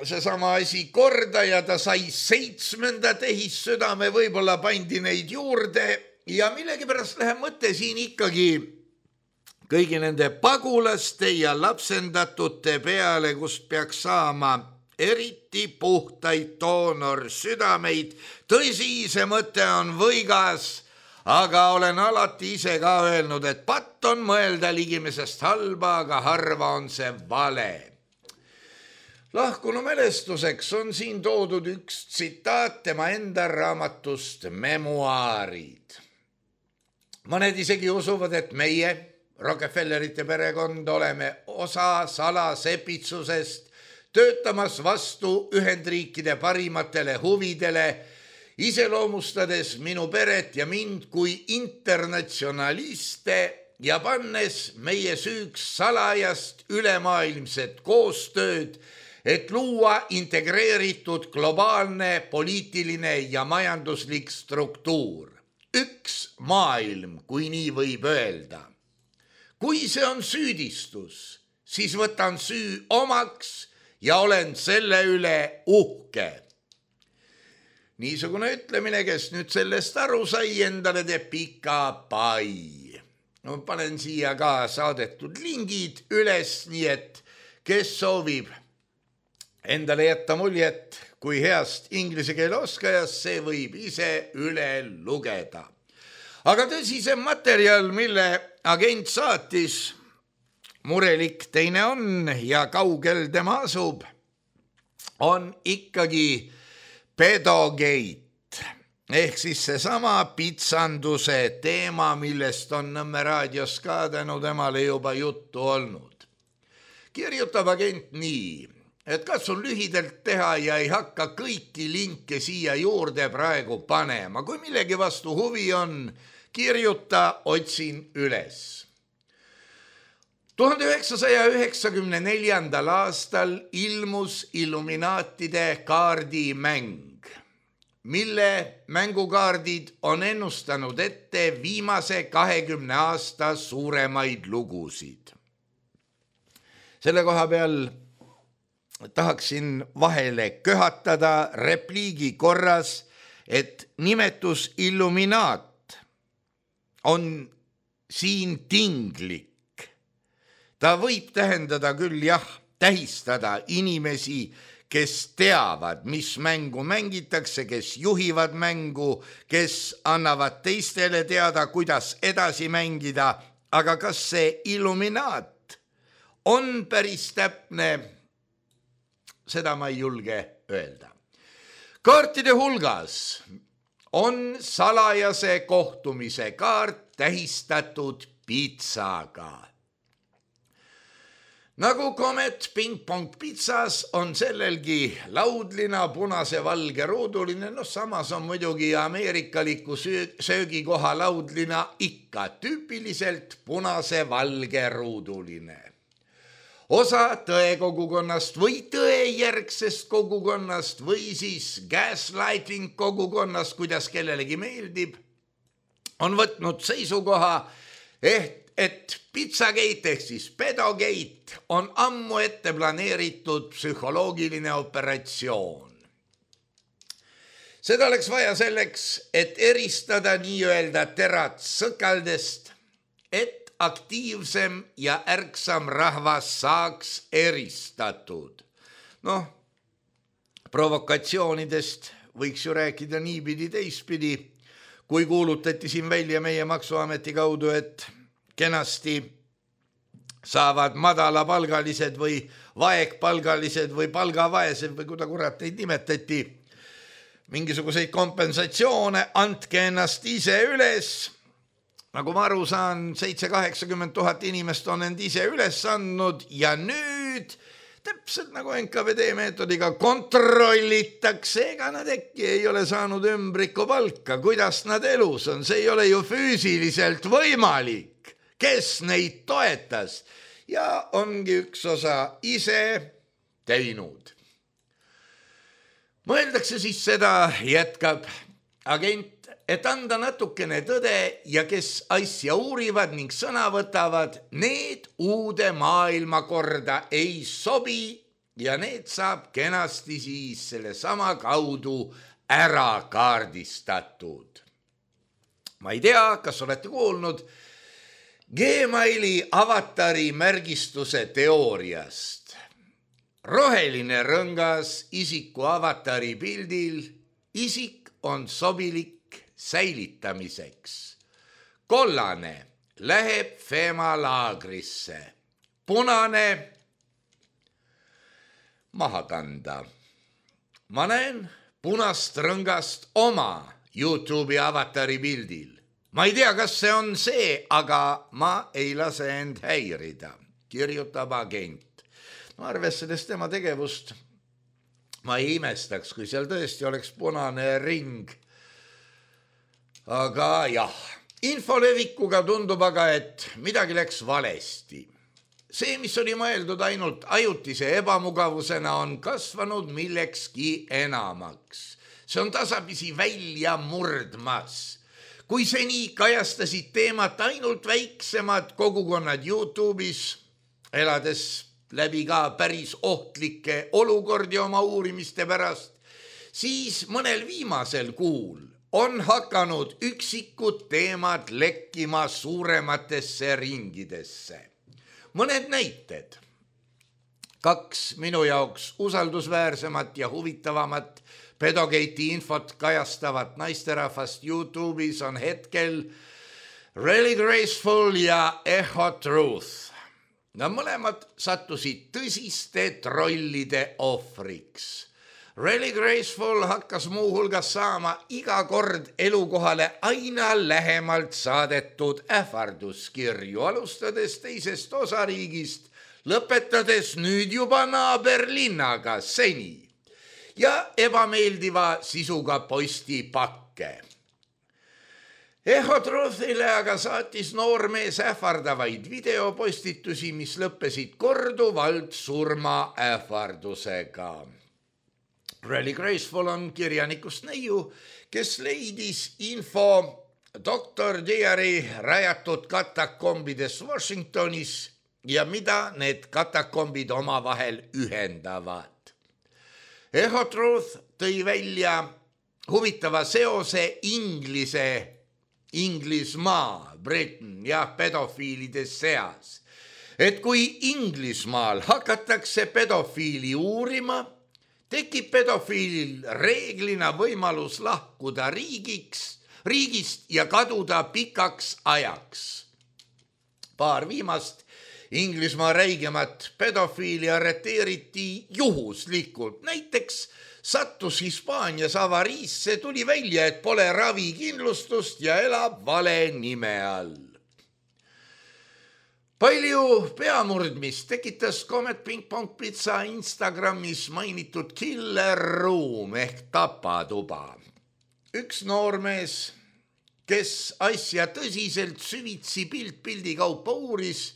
seesama asi korda ja ta sai seitsmenda tehissüdame, võib-olla pandi neid juurde ja millegipärast läheb mõte siin ikkagi kõigi nende pagulaste ja lapsendatute peale, kust peaks saama eriti puhtaid doonorsüdameid. Tõsi, see mõte on võigas, aga olen alati ise ka öelnud, et patt on mõelda ligimesest halba, aga harva on see vale. Lahkunu mälestuseks on siin toodud üks tsitaat tema enda raamatust Memuaarid. Mõned isegi usuvad, et meie, Rockefellerite perekond, oleme osa salasepitsusest, töötamas vastu Ühendriikide parimatele huvidele, iseloomustades minu peret ja mind kui internatsionaliste ja pannes meie süüks salajast ülemaailmset koostööd, et luua integreeritud globaalne poliitiline ja majanduslik struktuur. Üks maailm, kui nii võib öelda. Kui see on süüdistus, siis võtan süü omaks ja olen selle üle uhke. Niisugune ütlemine, kes nüüd sellest aru sai, endale teeb pika pai. No, panen siia ka saadetud lingid üles, nii et kes soovib endale jätta muljet kui heast inglise keele oskajast, see võib ise üle lugeda. Aga tõsisem materjal, mille agent saatis, murelik teine on ja kaugel tema asub, on ikkagi pedogate, ehk siis seesama pitsanduse teema, millest on Nõmme raadios ka tänu temale juba juttu olnud. Kirjutab agent nii, et katsun lühidalt teha ja ei hakka kõiki linke siia juurde praegu panema. Kui millegi vastu huvi on, kirjuta, otsin üles. tuhande üheksasaja üheksakümne neljandal aastal ilmus Illuminaatide kaardimäng, mille mängukaardid on ennustanud ette viimase kahekümne aasta suuremaid lugusid. Selle koha peal tahaksin vahele köhatada repliigi korras, et nimetus illuminaat on siin tinglik. Ta võib tähendada küll jah, tähistada inimesi, kes teavad, mis mängu mängitakse, kes juhivad mängu, kes annavad teistele teada, kuidas edasi mängida, aga kas see illuminaat on päris täpne, seda ma ei julge öelda. Kaartide hulgas on salajase kohtumise kaart tähistatud pitsaga. Nagu Comet ping-pong pitsas on sellelgi laudlina punase valge ruuduline, no samas on muidugi ameerikaliku söögikoha laudlina ikka tüüpiliselt punase valge ruuduline. Osa tõekogukonnast või tõejärgsest kogukonnast või siis gaslighting kogukonnast, kuidas kellelegi meeldib, on võtnud seisukoha, et et pizzagate ehk siis pedogate on ammu ette planeeritud psühholoogiline operatsioon. Seda oleks vaja selleks, et eristada nii-öelda terad sõkaldest, et aktiivsem ja ärksam rahvas saaks eristatud. Noh, provokatsioonidest võiks ju rääkida niipidi teistpidi, kui kuulutati siin välja meie maksuameti kaudu, et kenasti saavad madalapalgalised või vaegpalgalised või palgavaesed või kuda kurat neid nimetati mingisuguseid kompensatsioone, andke ennast ise üles. Nagu ma aru saan, seitse kaheksakümmend tuhat inimest on end ise üles andnud ja nüüd täpselt nagu N K V D meetodiga kontrollitakse, ega nad äkki ei ole saanud ümbriku palka, kuidas nad elus on, see ei ole ju füüsiliselt võimalik. Kes neid toetas ja ongi üks osa ise teinud. Mõeldakse siis seda, jätkab agent, et anda natukene tõde ja kes asja uurivad ning sõna võtavad, need uude maailmakorda ei sobi ja need saab kenasti siis selle sama kaudu ära kaardistatud. Ma ei tea, kas olete kuulnud Gmaili avatari märgistuse teooriast. Roheline rõngas isiku avatari pildil, isik on sobilik säilitamiseks. Kollane läheb Fema laagrisse, punane maha kanda. Ma näen punast rõngast oma YouTube'i avatari pildil. Ma ei tea, kas see on see, aga ma ei lase end häirida, kirjutab agent. No arvestades tema tegevust, ma ei imestaks, kui seal tõesti oleks punane ring. Aga jah, infolevikuga tundub aga, et midagi läks valesti. See, mis oli mõeldud ainult ajutise ebamugavusena, on kasvanud millekski enamaks. See on tasapisi välja murdmas. Kui seni kajastasid teemat ainult väiksemad kogukonnad YouTube'is, elades läbi ka päris ohtlikke olukordi oma uurimiste pärast, siis mõnel viimasel kuul on hakanud üksikud teemad lekkima suurematesse ringidesse. Mõned näited. Kaks minu jaoks usaldusväärsemat ja huvitavamat pedogate'i infot kajastavat naisterahvast YouTube'is on hetkel Really Graceful ja Echo Truth. Nad mõlemad sattusid tõsiste trollide ohvriks. Really Graceful hakkas muuhulgas saama iga kord elukohale aina lähemalt saadetud ähvarduskirju, alustades teisest osariigist, lõpetades nüüd juba naaberlinnaga seni ja ebameeldiva sisuga postipakke. Echo Truthile aga saatis noormees ähvardavaid videopostitusi, mis lõppesid korduvalt surma ähvardusega. Really Graceful on kirjanikust neiu, kes leidis info doktor Diari rajatud katakombides Washingtonis ja mida need katakombid omavahel ühendavad. Echo Truth tõi välja, huvitava seose Inglise, Inglismaa, Britain ja pedofiilide seas. Et kui Inglismaal hakatakse pedofiili uurima, tekib pedofiilil reeglina võimalus lahkuda riigiks, riigist ja kaduda pikaks ajaks. Paar viimast Inglismaa räigemat pedofiili arreteeriti juhuslikult. Näiteks sattus Hispaanias avariisse, tuli välja, et pole ravikindlustust ja elab vale nime all. Palju peamurdmist tekitas Comet Ping Pong Pizza Instagramis mainitud Killer Room ehk tapatuba. Üks noormees, kes asja tõsiselt süvitsi pilt pildi kaupa uuris,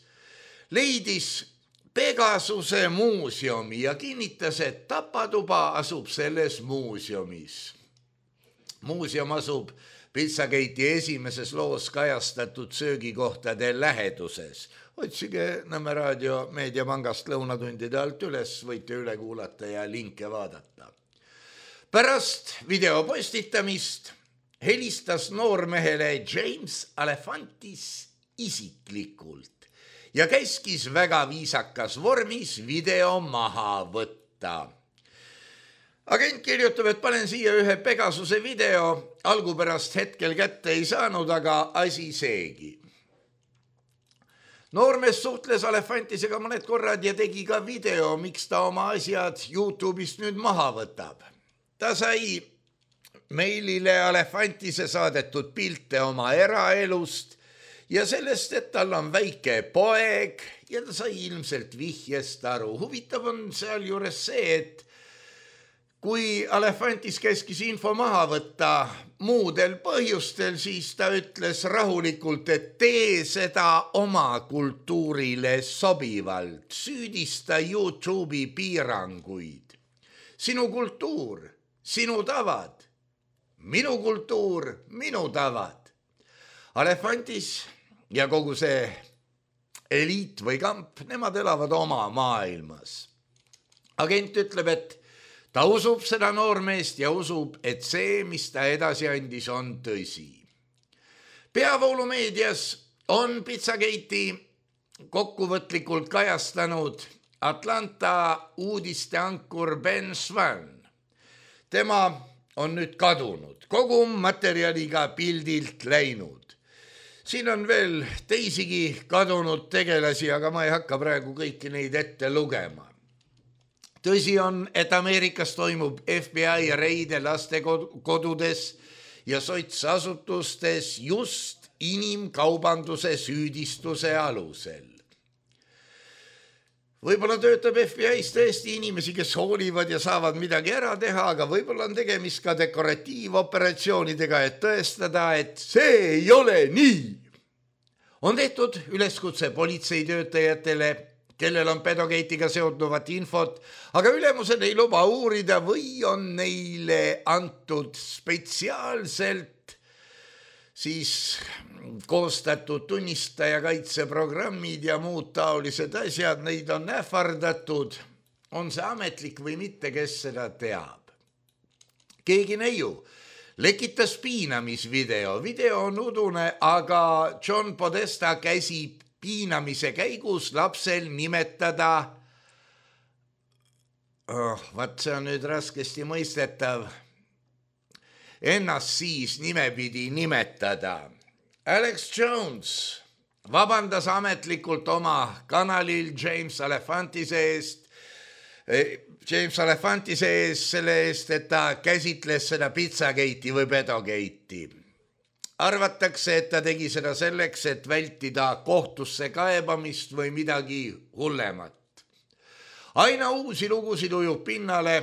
leidis Pegasuse muuseumi ja kinnitas, et tapatuba asub selles muuseumis. Muuseum asub Pizzagate'i esimeses loos kajastatud söögikohtade läheduses. Otsige Nõmme raadio meediapangast lõunatundide alt üles, võite üle kuulata ja linke vaadata. Pärast video postitamist helistas noormehele James Alefantis isiklikult ja käskis väga viisakas vormis video maha võtta. Agent kirjutab, et panen siia ühe Pegasuse video, algupärast hetkel kätte ei saanud, aga asi seegi. Noormees suhtles Alefantisega mõned korrad ja tegi ka video, miks ta oma asjad YouTube'ist nüüd maha võtab. Ta sai meilile Alefantise saadetud pilte oma eraelust ja sellest, et tal on väike poeg ja ta sai ilmselt vihjest aru. Huvitav on seal juures see, et kui Alefantis käskis info maha võtta muudel põhjustel, siis ta ütles rahulikult, et tee seda oma kultuurile sobivalt, süüdista YouTube'i piiranguid. Sinu kultuur, sinu tavad, minu kultuur, minu tavad. Alefantis ja kogu see eliit või kamp, nemad elavad oma maailmas. Agent ütleb, et ta usub seda noormeest ja usub, et see, mis ta edasi andis, on tõsi. Peavoolumeedias on Pizzagate'i kokkuvõtlikult kajastanud Atlanta uudisteankur Ben Swan. Tema on nüüd kadunud, kogu materjaliga pildilt läinud. Siin on veel teisigi kadunud tegelasi, aga ma ei hakka praegu kõiki neid ette lugema. Tõsi on, et Ameerikas toimub F B I reide lastekodudes ja sotsasutustes just inimkaubanduse süüdistuse alusel. Võib-olla töötab F B I-s tõesti inimesi, kes hoolivad ja saavad midagi ära teha, aga võib-olla on tegemist ka dekoratiivoperatsioonidega, et tõestada, et see ei ole nii. On tehtud üleskutse politseitöötajatele, kellel on Pedogate'iga seonduvat infot, aga ülemused ei luba uurida või on neile antud spetsiaalselt siis koostatud tunnistajakaitseprogrammid ja muud taolised asjad, neid on ähvardatud. On see ametlik või mitte, kes seda teab? Keegi neiu lekitas piinamisvideo. Video on udune, aga John Podesta käsib piinamise käigus lapsel nimetada, oh, vaat see on nüüd raskesti mõistetav, ennast siis nimepidi nimetada. Alex Jones vabandas ametlikult oma kanalil James Alefantise eest, James Alefantise eest selle eest, et ta käsitles seda Pizzagate'i või Pedogate'i. Arvatakse, et ta tegi seda selleks, et vältida kohtusse kaebamist või midagi hullemat. Aina uusi lugusid ujub pinnale,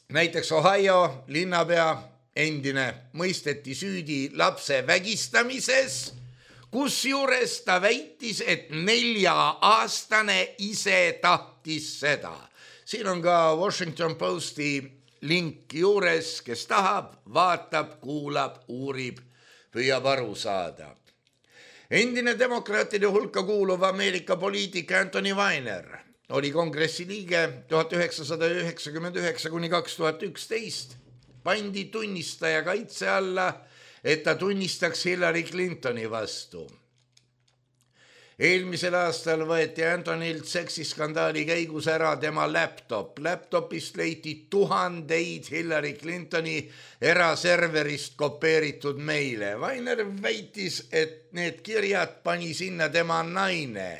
näiteks Ohio linnapea endine mõisteti süüdi lapse vägistamises, kusjuures ta väitis, et nelja-aastane ise tahtis seda. Siin on ka Washington Posti link juures, kes tahab, vaatab, kuulab, uurib, püüab aru saada. Endine demokraatide hulka kuuluv Ameerika poliitik Anthony Weiner oli kongressi liige tuhat üheksasada üheksakümmend üheksa kuni kaks tuhat üksteist. pandi tunnistaja kaitse alla, et ta tunnistaks Hillary Clintoni vastu. Eelmisel aastal võeti Antonilt seksiskandaali käigus ära tema laptop. Laptopist leiti tuhandeid Hillary Clintoni eraserverist kopeeritud meile. Vainer väitis, et need kirjad pani sinna tema naine,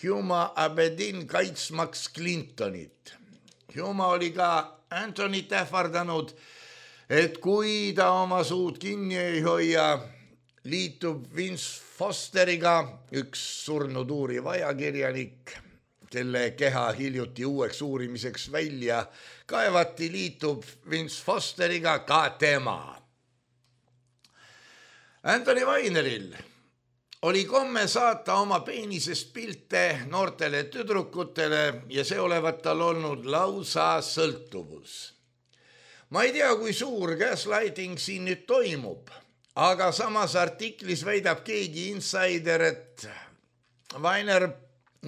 Huma Abedin, kaitsmaks Clintonit. Huma oli ka Antonit ähvardanud, et kui ta oma suud kinni ei hoia, liitub Vince Fosteriga, üks surnud uuriv ajakirjanik, kelle keha hiljuti uueks uurimiseks välja kaevati, liitub Vince Fosteriga ka tema. Anthony Weineril oli komme saata oma peenisest pilte noortele tüdrukutele ja see olevat tal olnud lausa sõltuvus. Ma ei tea, kui suur gaslighting siin nüüd toimub, aga samas artiklis väidab keegi insider, et Weiner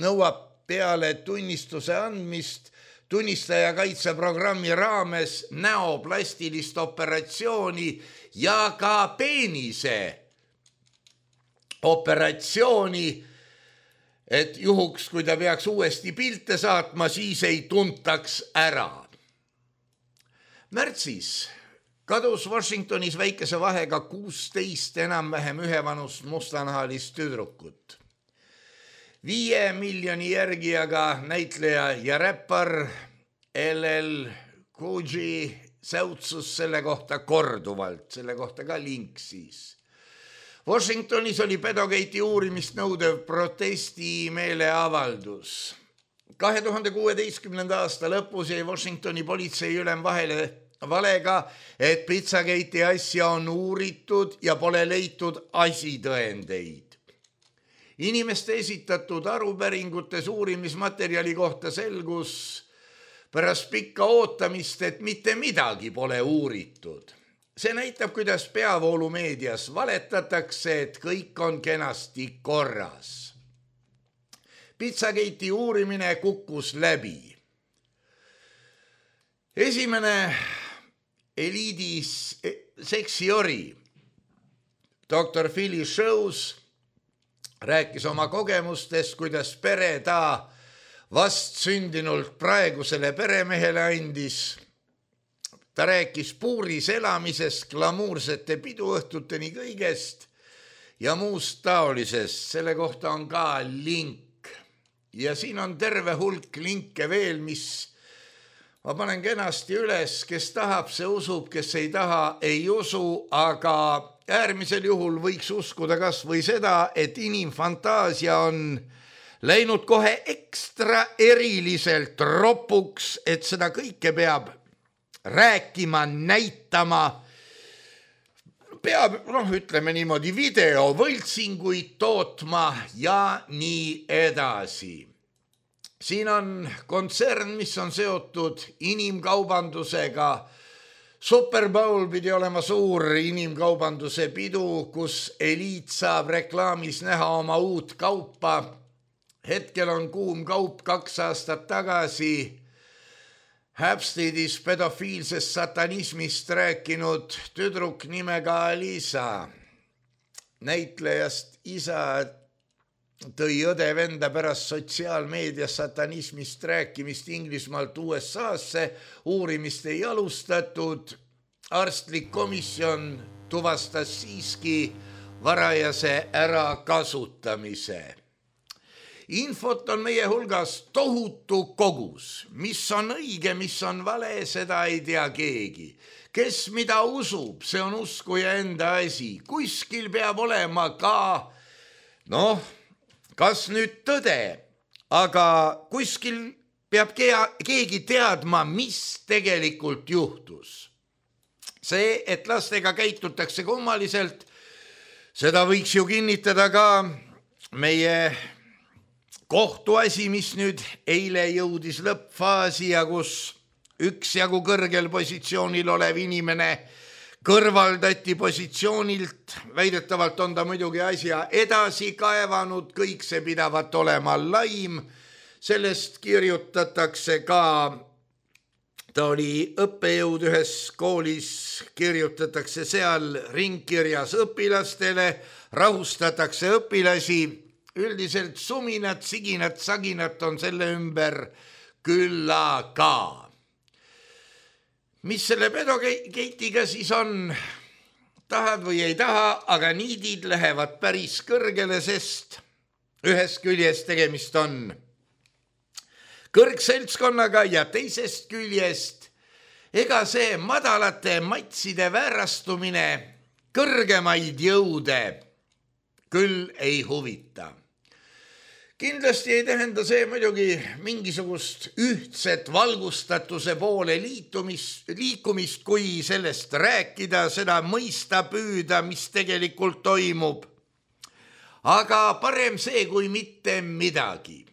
nõuab peale tunnistuse andmist tunnistaja kaitseprogrammi raames näoplastilist operatsiooni ja ka peenise operatsiooni, et juhuks, kui ta peaks uuesti pilte saatma, siis ei tuntaks ära. Märtsis kadus Washingtonis väikese vahega kuusteist enam-vähem ühevanust mustanahalist tüdrukut. Viie miljoni järgijaga näitleja ja räppar L L Cool J säutsus selle kohta korduvalt, selle kohta ka link siis. Washingtonis oli pedogate'i uurimist nõudev protesti meeleavaldus. kahe tuhande kuueteistkümnenda aasta lõpus jäi Washingtoni politsei ülem vahele valega, et Pizzagate'i asja on uuritud ja pole leitud asitõendeid. Inimeste esitatud arupäringutes uurimismaterjali kohta selgus pärast pikka ootamist, et mitte midagi pole uuritud. See näitab, kuidas peavoolumeedias valetatakse, et kõik on kenasti korras. Pizzagate'i uurimine kukkus läbi. Esimene eliidis seksiori doktor Philly Shows rääkis oma kogemustest, kuidas pere ta vast sündinult praegusele peremehele andis. Ta rääkis puuris elamisest, glamuursete piduõhtuteni kõigest ja muust taolisest. Selle kohta on ka link. Ja siin on terve hulk linke veel, mis ma panen kenasti üles, kes tahab, see usub, kes ei taha, ei usu, aga äärmisel juhul võiks uskuda kas või seda, et inimfantaasia on läinud kohe ekstra eriliselt ropuks, et seda kõike peab rääkima, näitama, peab, noh, ütleme niimoodi, videovõltsinguid tootma ja nii edasi. Siin on kontsern, mis on seotud inimkaubandusega. Super Bowl pidi olema suur inimkaubanduse pidu, kus eliit saab reklaamis näha oma uut kaupa. Hetkel on kuum kaup kaks aastat tagasi Hapstedis pedofiilsest satanismist rääkinud tüdruk nimega Alisa. Näitlejast isa tõi õde venda pärast sotsiaalmeedias satanismist rääkimist Inglismaalt U S A-sse, uurimist ei alustatud, arstlik komisjon tuvastas siiski varajase ärakasutamise. Infot on meie hulgas tohutu kogus, mis on õige, mis on vale, seda ei tea keegi. Kes mida usub, see on uskuja enda asi. Kuskil peab olema ka, noh, kas nüüd tõde, aga kuskil peab keegi teadma, mis tegelikult juhtus. See, et lastega käitutakse kummaliselt, seda võiks ju kinnitada ka meie kohtuasi, mis nüüd eile jõudis lõppfaasi ja kus üksjagu kõrgel positsioonil olev inimene kõrvaldati positsioonilt, väidetavalt on ta muidugi asja edasi kaevanud, kõik see pidavat olema laim, sellest kirjutatakse ka ta oli õppejõud ühes koolis, kirjutatakse seal ringkirjas õpilastele, rahustatakse õpilasi, üldiselt suminat, siginat, saginat on selle ümber küllaga. Mis selle pedokeitiga siis on? Tahad või ei taha, aga niidid lähevad päris kõrgele, sest ühest küljest tegemist on kõrgseltskonnaga ja teisest küljest ega see madalate matside väärastumine kõrgemaid jõude küll ei huvita. Kindlasti ei tähenda see muidugi mingisugust ühtset valgustatuse poole liitumist, liikumist, kui sellest rääkida, seda mõista püüda, mis tegelikult toimub. Aga parem see kui mitte midagi.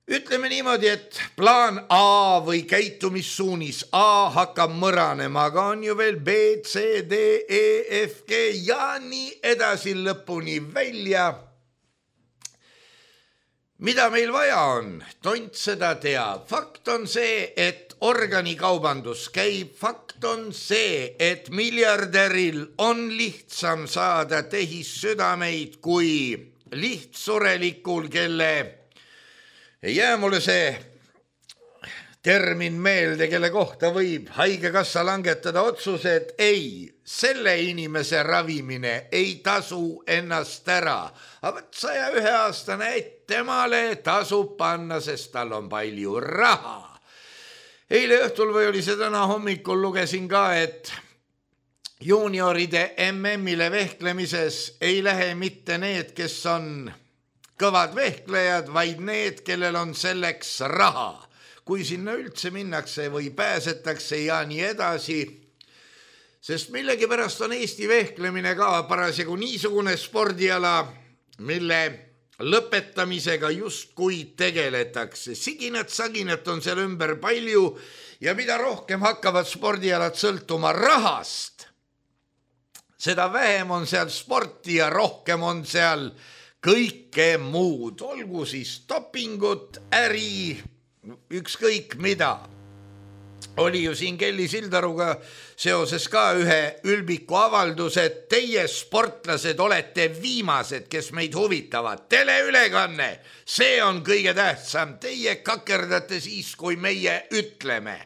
Ütleme niimoodi, et plaan A või käitumissuunis A hakkab mõranema, aga on ju veel B, C, D, E, F, G ja nii edasi lõpuni välja. Mida meil vaja on? Tont seda teab. Fakt on see, et organikaubandus käib. Fakt on see, et miljardäril on lihtsam saada tehissüdameid kui lihtsurelikul, kelle ei jää mulle see termin meelde, kelle kohta võib haigekassa langetada otsuse, et ei, selle inimese ravimine ei tasu ennast ära. Aga saja ühe aastane, et temale tasub panna, sest tal on palju raha. Eile õhtul või oli see täna hommikul lugesin ka, et juunioride M M-ile vehklemises ei lähe mitte need, kes on kõvad vehklejad, vaid need, kellel on selleks raha. Kui sinna üldse minnakse või pääsetakse ja nii edasi, sest millegipärast on Eesti vehklemine ka parasjagu niisugune spordiala, mille lõpetamisega justkui tegeletakse. Siginat, saginat on seal ümber palju ja mida rohkem hakkavad spordialad sõltuma rahast, seda vähem on seal sporti ja rohkem on seal kõike muud, olgu siis dopingut, äri, ükskõik mida. Oli ju siin Kelly Sildaruga seoses ka ühe ülbiku avaldus, et teie sportlased olete viimased, kes meid huvitavad. Teleülekanne, see on kõige tähtsam. Teie kakerdate siis, kui meie ütleme.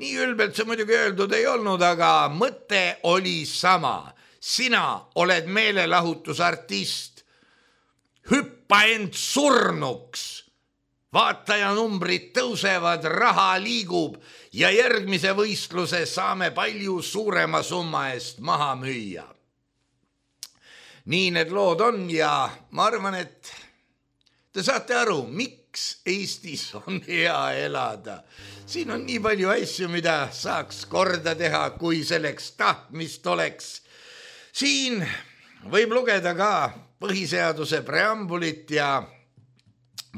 Nii ülbelt see muidugi öeldud ei olnud, aga mõte oli sama. Sina oled meelelahutusartist. Hüppa end surnuks. Vaataja numbrid tõusevad, raha liigub ja järgmise võistluse saame palju suurema summa eest maha müüa. Nii need lood on ja ma arvan, et te saate aru, miks Eestis on hea elada. Siin on nii palju asju, mida saaks korda teha, kui selleks tahtmist oleks. Siin võib lugeda ka põhiseaduse preambulit ja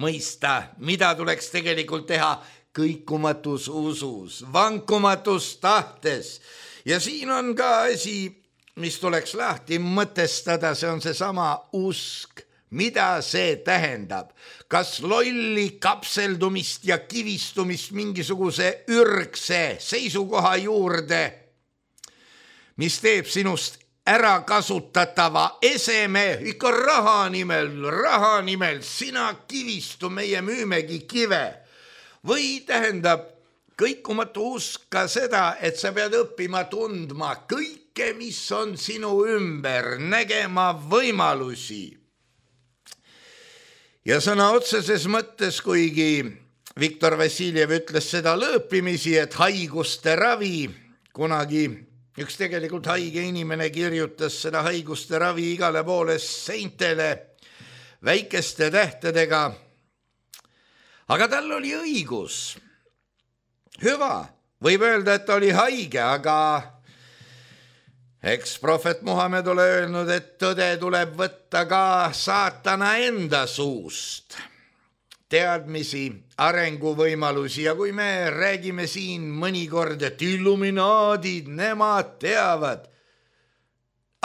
mõista, mida tuleks tegelikult teha kõikumatus usus, vankumatus tahtes. Ja siin on ka asi, mis tuleks lahti mõtestada, see on see sama usk. Mida see tähendab? Kas lolli kapseldumist ja kivistumist mingisuguse ürgse seisukoha juurde, mis teeb sinust ära kasutatava eseme, ikka raha nimel, raha nimel, sina kivistu, meie müümegi kive. Või tähendab kõikumatu usk ka seda, et sa pead õppima tundma kõike, mis on sinu ümber, nägema võimalusi. Ja sõna otseses mõttes, kuigi Viktor Vassiljev ütles seda lõõpimisi, et haiguste ravi kunagi üks tegelikult haige inimene kirjutas seda haiguste ravi igale poole seintele väikeste tähtedega. Aga tal oli õigus. Hüva, võib öelda, et ta oli haige, aga eks prohvet Muhamed ole öelnud, et tõde tuleb võtta ka saatana enda suust. Teadmisi, arenguvõimalusi ja kui me räägime siin mõnikord, et illuminaadid, nemad teavad.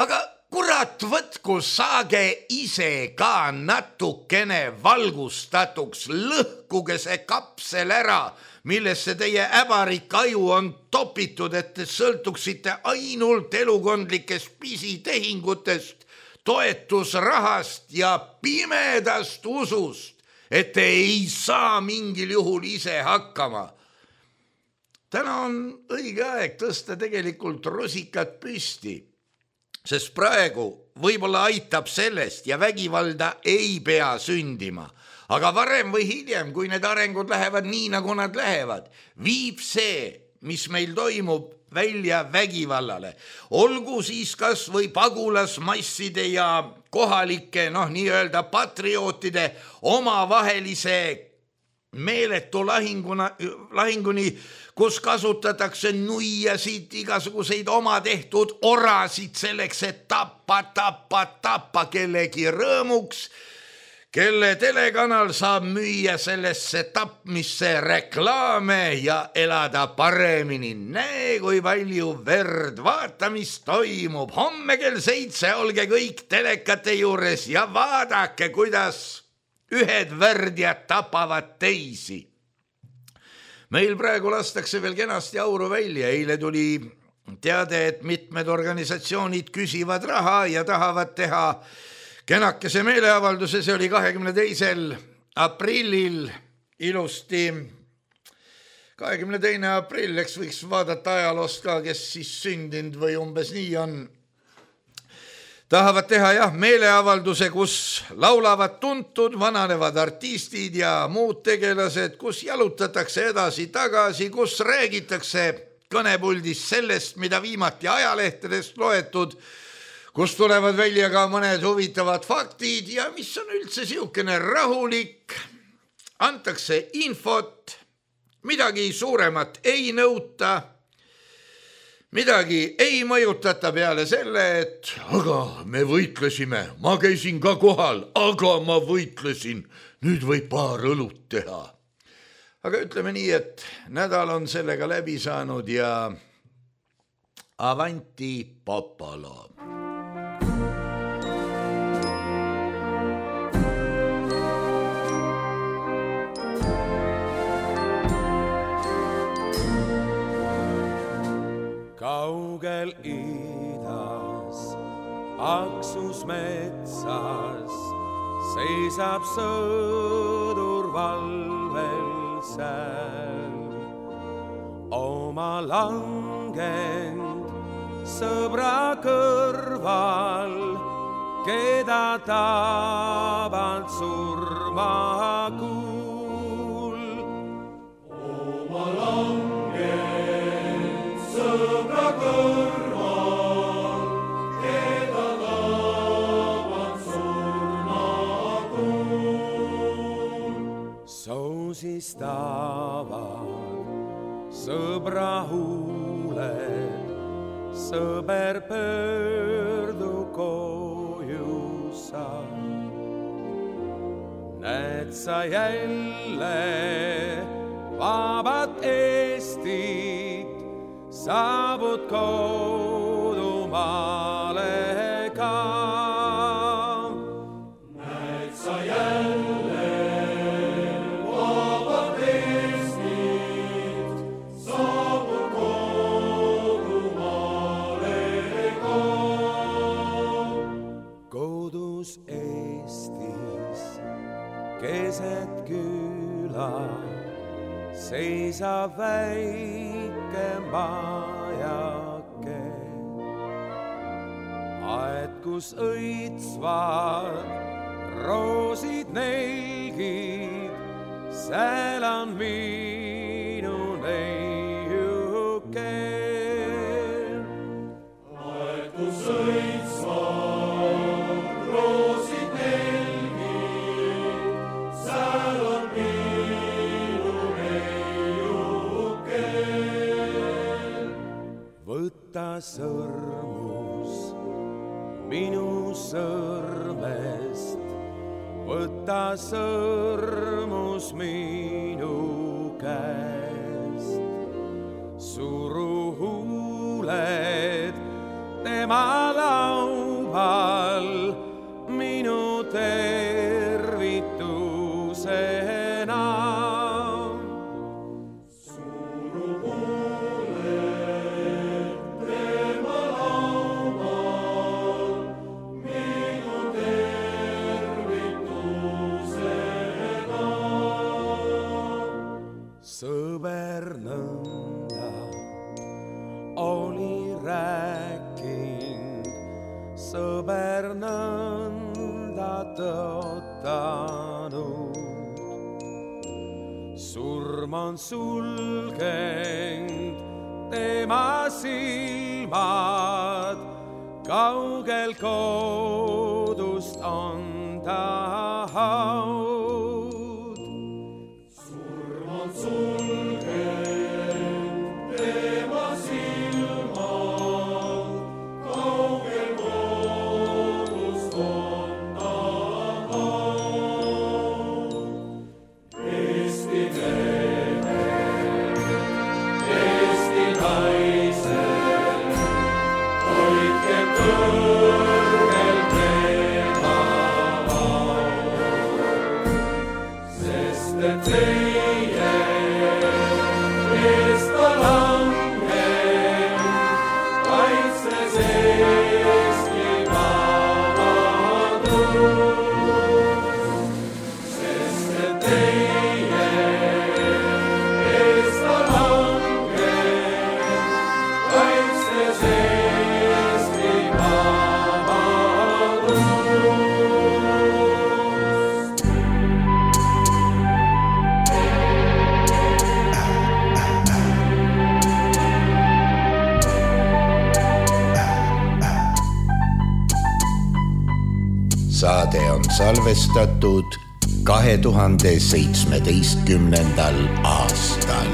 Aga kurat, kurat võtku, saage ise ka natukene valgustatuks, lõhkuge see kapsel ära, millesse teie äbarik aju on topitud, et te sõltuksite ainult elukondlikest pisitehingutest, toetusrahast ja pimedast usust, et te ei saa mingil juhul ise hakkama. Täna on õige aeg tõsta tegelikult rusikat püsti, sest praegu võib-olla aitab sellest ja vägivalda ei pea sündima. Aga varem või hiljem, kui need arengud lähevad nii, nagu nad lähevad, viib see, mis meil toimub, välja vägivallale. Olgu siis kas või pagulasmasside ja kohalike, noh, nii-öelda patriootide omavahelise meeletu lahinguna, lahinguni, kus kasutatakse nuiasid, igasuguseid oma tehtud orasid selleks, et tappa, tappa, tappa kellegi rõõmuks, kelle telekanal saab müüa sellesse tapmisse reklaame ja elada paremini. Näe, kui palju verd, vaata, mis toimub. Homme kell seitse olge kõik telekate juures ja vaadake, kuidas ühed värdjad tapavad teisi. Meil praegu lastakse veel kenasti auru välja. Eile tuli teade, et mitmed organisatsioonid küsivad raha ja tahavad teha kenakese meeleavalduse. See oli kahekümne teisel aprillil ilusti. kahekümne teine aprill, eks võiks vaadata ajaloost ka, kes siis sündinud või umbes nii on. Tahavad teha jah meeleavalduse, kus laulavad tuntud vananevad artistid ja muud tegelased, kus jalutatakse edasi-tagasi, kus räägitakse kõnepuldis sellest, mida viimati ajalehtedest loetud, kus tulevad välja ka mõned huvitavad faktid ja mis on üldse siukene rahulik. Antakse infot, midagi suuremat ei nõuta, midagi ei mõjutata peale selle, et aga me võitlesime, ma käisin ka kohal, aga ma võitlesin, nüüd võib paar õlut teha. Aga ütleme nii, et nädal on sellega läbi saanud ja avanti popolo. Kaugel idas, Aksus metsas, seisab sõdur valvel seal. Oma langend sõbra kõrval, keda taband surmakuul. Oma langend sõbra kõrval, keda taband surmakuul. Soosistavad sõbra huuled, sõber pöördu koju sa. Näed sa jälle vabat Eestit, saabud kodumaale ka. Näed sa jälle vabat Eestit, saabud kodumaale ka. Kodus Eestis keset küla seisab väike majake, aed, kus õitsvad roosid nelgid, seal on minu neiuke. Aed, kus õitsvad roosid nelgid, seal on minu neiuke. Võta sõrmus minu sõrmest, võta sõrmus minu käest. Suru huuled tema lauba ma on sulgenud tema silmad, kaugel kodust on ta haud. Surm on sulgenud tema silmad, kaugel kodust on ta haud. Eesti mehe, Eesti naise, hoidke kõrgel tema au, sest et teie eest ta langeb, kaitses Eesti vabadust, sest et teie eest ta langeb, kaitses Eesti vabadust. Saade on salvestatud kahe tuhande seitsmeteistkümnendal aastal.